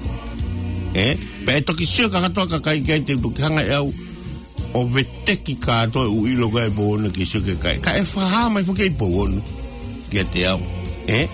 ʻE? Pea ʻe toki sio kātoa e kakai ki ai, te u toki hanga ʻe au ʻo veteki kātoa e ʻū ʻilo ko ē ʻa Pouono ke sio ki he kakai. Kae fakahā mai foki ʻe Pouono kiate au. ʻE?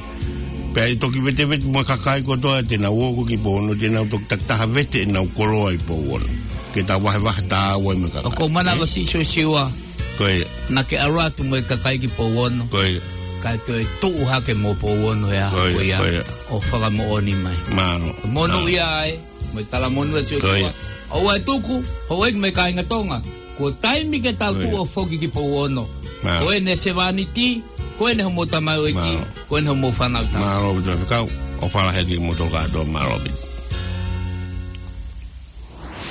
Pea ʻe toki vetevete mo e kakai kotoa te nau ō ko ē ki Pouono, te nau toki takitaha vete ʻenau koloa ʻi Pouono. Ke tau vahevahe tāua ai mo e kakai. ʻOku ou manavasiʻi, ʻe, Siosiua. Ko ia. Naʻa ke ʻalu atu mo e kakai ki Pouono. Ko ia. Kae toe tuʻu hake mo Pouono he ʻaho ko ia, ko ia, ko ia, ʻo fakamoʻoni mai. Mālō. Monūʻia ai, mo e talamonū atu, ko ia, Siosiua. ʻOua ʻe tuku houʻeiki mo e kāinga Tonga. Kuo taimi ke tau, ko ia, tuʻu ʻo foki ki Pouono. Mālō. Ko eni e sevāniti, ko eni hoʻomou tamaioʻeiki, mālō, ko eni hoʻomou fānau tama. Mālō, ʻaupito Faifekau, ʻofa lahi atu kiate kimoutolu kātoa, mālō ʻaupito.